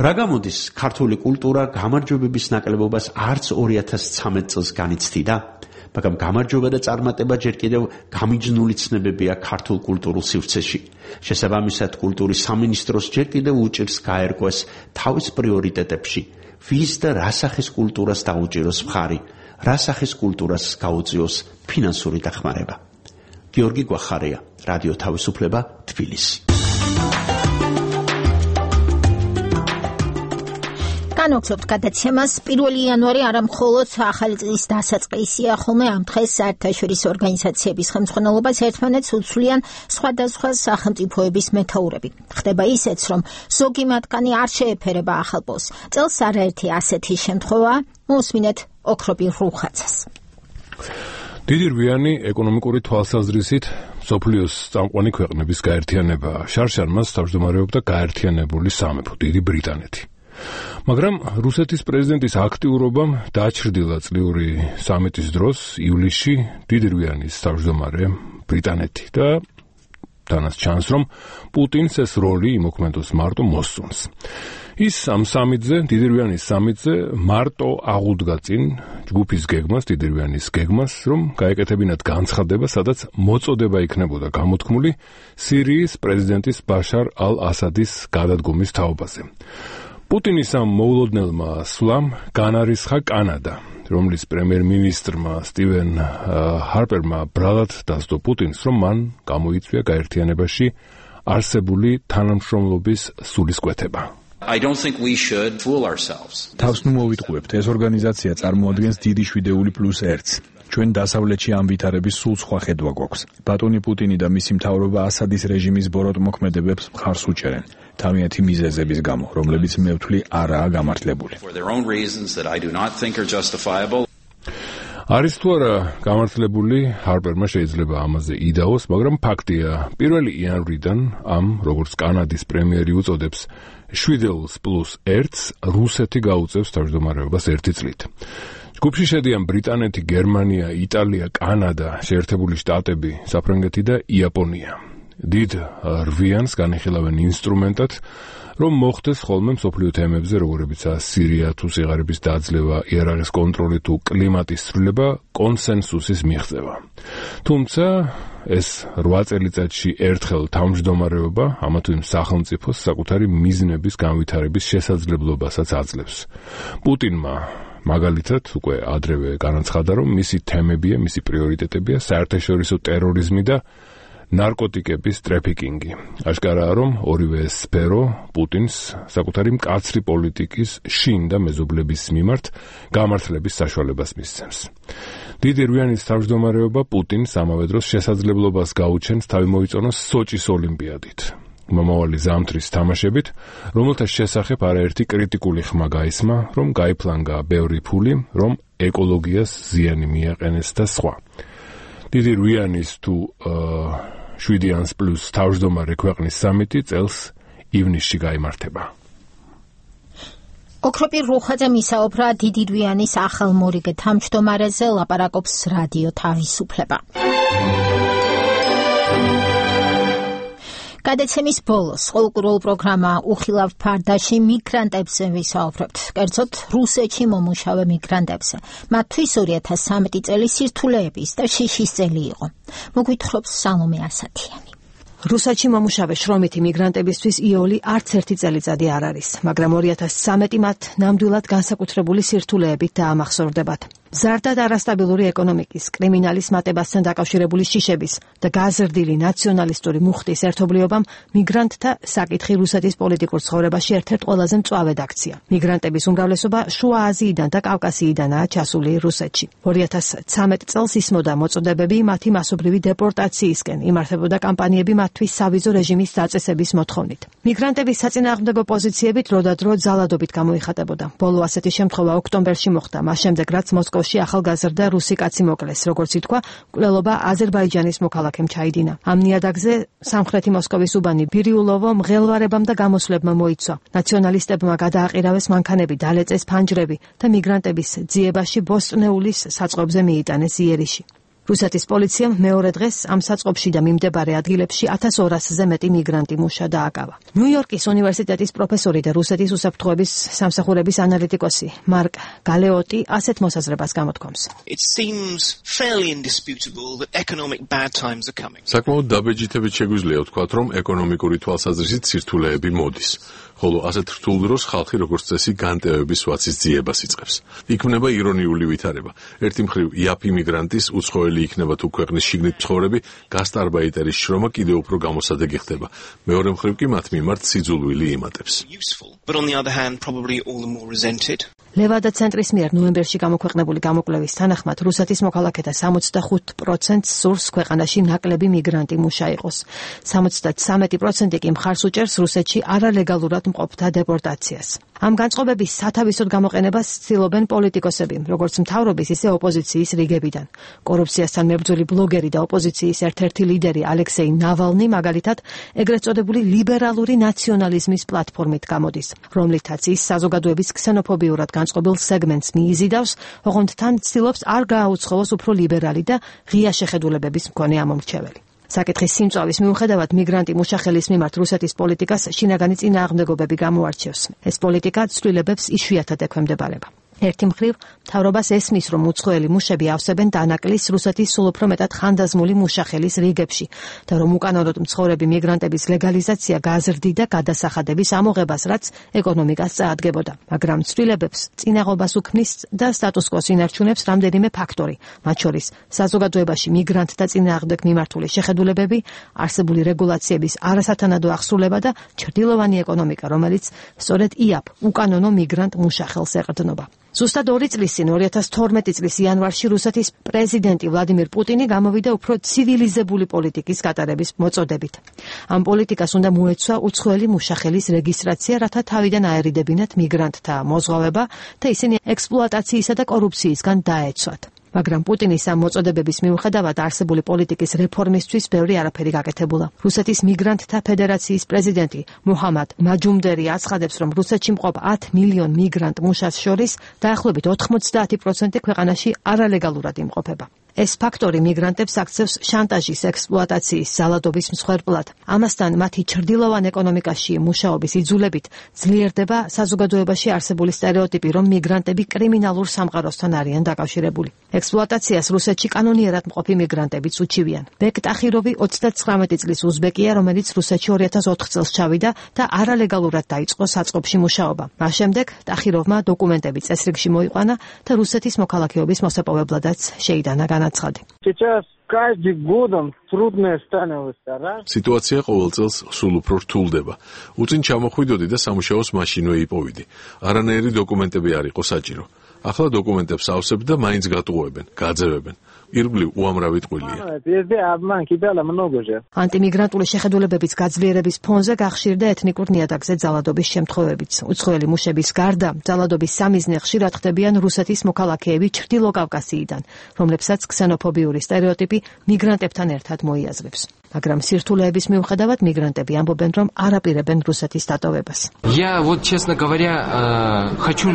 რა გამოდის, ქართული კულტურა გამარჯვებების ნაკლებობას არც ორი ათას ცხრამეტ წელს განიცდიდა, მაგრამ გამარჯვება და წარმატება ჯერ კიდევ გამიჯნული ცნებებია ქართულ კულტურულ სივრცეში. შესაბამისად, კულტურის სამინისტროს ჯერ კიდევ უჭირს გაერკვეს თავის პრიორიტეტებში, ვის და რა სახის კულტურას დაუჭიროს მხარი, რა სახის კულტურას გაუწიოს ფინანსური დახმარება. გიორგი გვახარია, რადიო თავისუფლება, თბილისი. განვაგრძობთ გადაცემას. პირველი იანვარი არა მხოლოდ ახალი წლის დასაწყისია, ხოლმე ამ დღეს საერთაშორისო ორგანიზაციების ხელმძღვანელობას ერთმანეთს უცვლიან სხვადასხვა სახელმწიფოების მეთაურები. ხდება ისეც, რომ ზოგი მათგანი არ შეეფერება ახალ პოსტს. წელს არაერთი ასეთი შემთხვევა მოусმინეთ ოქროპირ რუხაცას. დიდი რვიანი ეკონომიკური თვალსაზრისით მსოფლიოს წამყვანი ქვეყნების გაერთიანებაა. შარშან მას თავმჯდომარეობდა გაერთიანებული სამეფო, დიდი ბრიტანეთი. მაგრამ რუსეთის პრეზიდენტის აქტიურობამ დაჩრდილა წლიური სამიტის დროს ივლისში დიდი რვიანის თავმჯდომარე ბრიტანეთი და თანაც ჩანს, რომ პუტინს ეს როლი იმოქმედოს მარტო მოსწონს. ის ამ სამიტზე, დიდი რვიანის სამიტზე მარტო აღუდგა წინ ჯგუფის გეგმას, დიდი რვიანის გეგმას, რომ გაეკეთებინათ განცხადება, სადაც მოწოდება იქნებოდა გამოთქმული სირიის პრეზიდენტის ბაშარ ალ-ასადის გადადგომის თაობაზე. პუტინის ამ მოულოდნელმა სვლამ განარისხა კანადა, რომლის პრემიერ-მინისტრმა სტივენ ჰარპერმა ბრალად დასდო პუტინს, რომ მან გამოიწვია გაერთიანებაში არსებული თანამშრომლობის სულისკვეთება. I don't think we should fool ourselves. თავს ნუ მოვიტყუებთ, ეს ორგანიზაცია წარმოადგენს დიდი შვიდეული პლუს ერთს. ჩვენ დასავლეთში ამ ვითარების სულ სხვა ხედვა გვაქვს. ბატონი პუტინი და მისი მთავრობა ასადის რეჟიმის ბოროტ მოქმედებებს მხარს უჭერენ. თავიანთი მიზეზების გამო, რომლებიც მე ვთვლი არაა გამართლებული. არის თუ არა გამართლებული, ჰარპერმა შეიძლება ამაზე იდაოს, მაგრამ ფაქტია, პირველი იანვრიდან ამ, როგორც კანადის პრემიერი უწოდებს, შვიდელს პლუს ერთს რუსეთი გაუწევს თავმჯდომარეობას ერთი წლით. ჯგუფში შედიან ბრიტანეთი, გერმანია, იტალია, კანადა, შეერთებული შტატები, საფრანგეთი და იაპონია. დიდ რვიანს განიხილავენ ინსტრუმენტად, რომ მოხდეს ხოლმე მსოფლიო თემებზე, როგორებიცაა სირია თუ სიღარიბის დაძლევა, იარაღის კონტროლი თუ კლიმატის ცვლილება, კონსენსუსის მიღწევა. თუმცა ეს რვა წელიწადში ერთხელ თავმჯდომარეობა ამა თუ იმ სახელმწიფოს საკუთარი მიზნების განვითარების შესაძლებლობასაც აძლევს. პუტინმა მაგალითად უკვე ადრევე განაცხადა, რომ მისი თემებია, მისი პრიორიტეტებია საერთაშორისო ტერორიზმი და ნარკოტიკების ტრაფიკინგი. აშკარაა, რომ ორივე სფერო პუტინს საკუთარი მკაცრი პოლიტიკის შინ და მეზობლების მიმართ გამართლების საშუალებას მისცემს. დიდი რვიანის თავმჯდომარეობა პუტინს ამავე დროს შესაძლებლობას გაუჩენს თავი მოიწონოს სოჭის ოლიმპიადით. მომავალი ზამთრის თამაშებით, რომელთა შესახებ არაერთი კრიტიკული ხმა გაისმა, რომ გაიფლანგა ბევრი ფული, რომ ეკოლოგიას ზიანი მიაყენეს და სხვა. დიდი რუიანის თუ შვიდი ანს პლუს თავმჯდომარე ქვეყნის სამიტი წელს ივნისში გაიმართება. ოქროპირ რუხაძე მისაუბრა დიდი რუიანის ახალ მორიგე თავმჯდომარეზე, ლაპარაკობს რადიო თავისუფლება. გადაცემის ბოლოს ყოველკვირეულ პროგრამა უხილავ ფარდაში მიგრანტებზე ვისაუბრებთ, კერძოდ რუსეთში მომუშავე მიგრანტებზე. მათთვის ორი ათას სამი წელი სირთულეების და შიშის წელი იყო. მოგვითხრობს სალომე ასათიანი. რუსეთში მომუშავე შრომითი მიგრანტებისთვის იოლი არც ერთი წელიწადი არ არის, მაგრამ ორი ათას სამი მათ ნამდვილად განსაკუთრებული სირთულეებით დაამახსოვრდებათ. მზარდა და არასტაბილური ეკონომიკის, კრიმინალის მატებასთან დაკავშირებული შიშების და გაზრდილი ნაციონალისტური მუხტის ერთობლიობამ მიგრანტთა საკითხი რუსეთის პოლიტიკურ ცხოვრებაში ერთ-ერთ ყველაზე მწვავედ აქცია. მიგრანტების უმრავლესობა შუა აზიიდან და კავკასიიდანაა ჩასული რუსეთში. ორი ათას ცხრამეტ წელს ისმოდა მოწოდებები მათი მასობრივი დეპორტაციისკენ, იმართებოდა კამპანიები მათთვის სავიზო რეჟიმის დაწესების მოთხოვნით. მიგრანტების საწინააღმდეგო პოზიციები დროდადრო ძალადობით გამოიხატებოდა. ბოლო ასეთი შემთხვევა ოქტომბერში მოხდა, მას შემდეგ რაც მოსკოვში ახალგაზრდა რუსი კაცი მოკლეს, როგორც ითქვა, მკვლელობა აზერბაიჯანის მოქალაქემ ჩაიდინა. ამ ნიადაგზე სამხრეთი მოსკოვის უბანი ბირიულოვო მღელვარებამ და გამოსვლებმა მოიცვა. ნაციონალისტებმა გადააყირავეს მანქანები, დალეწეს ფანჯრები და მიგრანტების ძიებაში ბოსტნეულის საწყობზე მიიტანეს იერიში. რუსეთის პოლიციამ მეორე დღეს ამ საწყობში და მიმდებარე ადგილებში ათას ორასზე მეტი მიგრანტი მუშა დააკავა. ნიუ-იორკის უნივერსიტეტის პროფესორი და რუსეთის უსაფრთხოების სამსახურების ანალიტიკოსი მარკ გალეოტი ასეთ მოსაზრებას გამოთქვამს. საკმაოდ დაბეჯითებით შეგვიძლია ვთქვათ, რომ ეკონომიკური თვალსაზრისით სირთულეები მოდის. ხოლო ასეთ რთულ დროს ხალხი როგორც წესი განტევების ვაცის ძიებას იწყებს. იქმნება ირონიული ვითარება. ერთი მხრივ იაფი მიგრანტის უცხოელი იქნება თუ ქვეყნის შიგნით მცხოვრები, გასტარბაიტერის შრომა კიდევ უფრო გამოსადეგი ხდება. მეორე მხრივ კი მათ მიმართ სიძულვილი იმატებს. ლევადა ცენტრის მიერ ნოემბერში გამოქვეყნებული გამოკვლევის თანახმად რუსეთის მოქალაქეთა სამოცდახუთ პროცენტს სურს ქვეყანაში ნაკლები მიგრანტი მუშა იყოს. სამოცდათვრამეტი პროცენტი კი მხარს უჭერს რუსეთში არალეგალურად მყოფთა დეპორტაციას. ამ განწყობების სათავისოდ გამოყენებას ცდილობენ პოლიტიკოსები, როგორც მთავრობის, ისე ოპოზიციის რიგებიდან. კორუფციასთან მებრძოლი ბლოგერი და ოპოზიციის ერთ-ერთი ლიდერი ალექსეი ნავალნი მაგალითად ეგრეთ წოდებული ლიბერალური ნაციონალიზმის პლატფორმით გამოდის, რომლითაც ის საზოგადოების ქსენოფობიურად განწყობილ სეგმენტს მიიზიდავს, ოღონდ თან ცდილობს არ გააუცხოოს უფრო ლიბერალი და ღია შეხედულებების მქონე ამომრჩეველი. საკითხის სიმწავის მიუხედავად მიგრანტი მუშახელის მიმართ რუსეთის პოლიტიკას შინაგანი წინააღმდეგობები გამოარჩევს. ეს პოლიტიკა ცვლილებებს იშვიათად ექვემდებარება. ერთი მხრივ, მთავრობას ესმის, რომ უცხოელი მუშები ავსებენ დანაკლის რუსეთის სულ უფრო მეტად ხანდაზმული მუშახელის რიგებში და რომ უკანონოდ მცხოვრები მიგრანტების ლეგალიზაცია გაზრდიდა გადასახადების ამოღებას, რაც ეკონომიკას წაადგებოდა. მაგრამ ცვლილებებს წინაღობას უქმნის და სტატუს-კვოს ინარჩუნებს რამდენიმე ფაქტორი, მათ შორის საზოგადოებაში მიგრანტთა წინააღმდეგ მიმართული შეხედულებები, არსებული რეგულაციების არასათანადო აღსრულება და ჩრდილოვანი ეკონომიკა, რომელიც სწორედ იაფ უკანონო მიგრანტ მუშახელს ეყრდნობა. ზუსტად ორი წლის წინ ორი ათას თორმეტი წლის იანვარში რუსეთის პრეზიდენტი ვლადიმირ პუტინი გამოვიდა უფრო ცივილიზებული პოლიტიკის გატარების მოწოდებით. ამ პოლიტიკას უნდა მოეცვა უცხოელი მუშახელის რეგისტრაცია, რათა თავიდან აერიდებინათ მიგრანტთა მოზღვავება და ისინი ექსპლუატაციისა და კორუფციისგან დაეცვათ. მაგრამ პუტინის ამ მოწოდებების მიუხედავად არსებული პოლიტიკის რეფორმისთვის ბევრი არაფერი გაკეთებულა. რუსეთის მიგრანტთა ფედერაციის პრეზიდენტი მუჰამად მაჯუმდერი აცხადებს, რომ რუსეთში მყოფ ათ მილიონ მიგრანტ მუშას შორის დაახლოებით ოთხმოცდაათი პროცენტი ქვეყანაში არალეგალურად იმყოფება. ეს ფაქტორი მიგრანტებს აქცევს შანტაჟის, ექსპლუატაციის, ზალადობის მსხვერპლად. ამასთან მათი ჩრდილოვან ეკონომიკაში მუშაობის იძულებით ძლიერდება საზოგადოებაში არსებული სტერეოტიპი, რომ მიგრანტები კრიმინალურ სამყაროსთან არიან დაკავშირებული. ექსპლუატაციას რუსეთში კანონიერად მყოფი მიგრანტებიც უჩივიან. ბეკ ტახიროვი ოცდათვრამეტი წლის უზბეკია, რომელიც რუსეთში ორი ათას ოთხ წელს ჩავიდა და არალეგალურად დაიწყო საწყობში მუშაობა. მას შემდეგ ტახიროვმა დოკუმენტები წესრიგში მოიყვანა და რუსეთის მოქალაქეობის მოსაპოვებლადაც შეიტანა განაცხადი. სიტუაცია ყოველ წელს სულ უფრო რთულდება. უწინ ჩამოხვიდოდი და სამუშაოს მაშინვე იპოვიდი. არანაირი დოკუმენტები არ იყო საჭირო. ახლა დოკუმენტებს ავსებთ და მაინც გატყუებენ, გაძევებენ. ირგვლივ უამრავი ტყუილია. ანტიმიგრანტული შეხედულებების გაძლიერების ფონზე გახშირდა ეთნიკურ ნიადაგზე ძალადობის შემთხვევებიც. უცხოელი მუშების გარდა ძალადობის სამიზნე ხშირად ხდებიან რუსეთის მოქალაქეები ჩრდილო კავკასიიდან, რომლებსაც ქსენოფობიური სტერეოტიპი მიგრანტებთან ერთად მოიაზრებს. მაგრამ სირთულეების მიუხედავად მიგრანტები ამბობენ, რომ არ აპირებენ რუსეთის დატოვებას. Я вот, честно говоря, хочу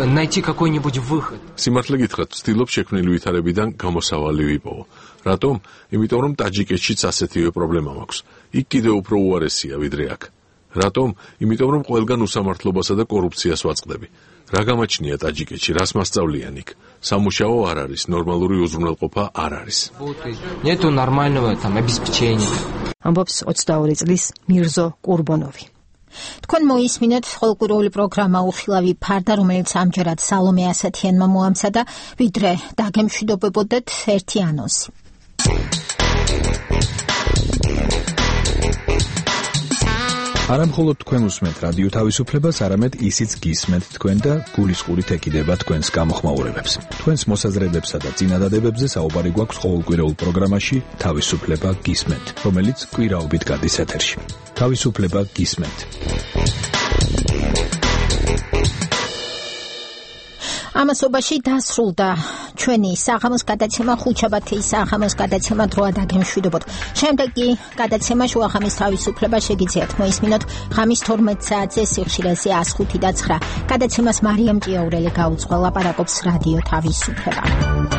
найти какой-нибудь выход. სიმართლე გითხრათ, ვცდილობ შექმნილი ვითარებიდან გამოსავალი ვიპოვო. რატომ? იმიტომ რომ ტაჯიკეთშიც ასეთივე პრობლემა მაქვს. იქ კიდევ უფრო უარესია ვიდრე აქ. რატომ? იმიტომ რომ ყველგან უსამართლობასა და კორუფციას ვაწყდები. რა გამაჩნია ტაჯიკეთში, რას მასწავლიან იქ? სამუშაო არ არის, ნორმალური უზრუნველყოფა არ არის. Нету нормального там обеспечения. ამბობს ოცდაორი წლის მირზო კურბონოვი. თქვენ მოისმინეთ ყოველკვირეული პროგრამა უხილავი ფარდა, რომელიც ამჯერად სალომე ასათიანმა მოამზადა, ვიდრე დაგემშვიდობებოდეთ ერთი ანონსი. არა მხოლოდ თქვენ უსმენთ რადიო თავისუფლებას, არამედ ისიც გისმენთ თქვენ და გულისყურით ეკიდება თქვენს გამოხმაურებებს. თქვენს მოსაზრებებსა და წინადადებებზე საუბარი გვაქვს ყოველკვირეულ პროგრამაში თავისუფლება გისმენთ, რომელიც კვირაობით გადის ეთერში. თავისუფლება გისმენთ. ამასობაში დასრულდა ჩვენი საღამოს გადაცემა, ხუთშაბათის საღამოს გადაცემა დროა დაგემშვიდობოთ. შემდეგი გადაცემა შუახამის თავისუფლება შეგიძლიათ მოისმინოთ ღამის თორმეტ საათზე სიხშირეზე ას ხუთი და ცხრა. გადაცემას მარიამ ჭიაურელი გაუძღვა, ლაპარაკობს რადიო თავისუფლება.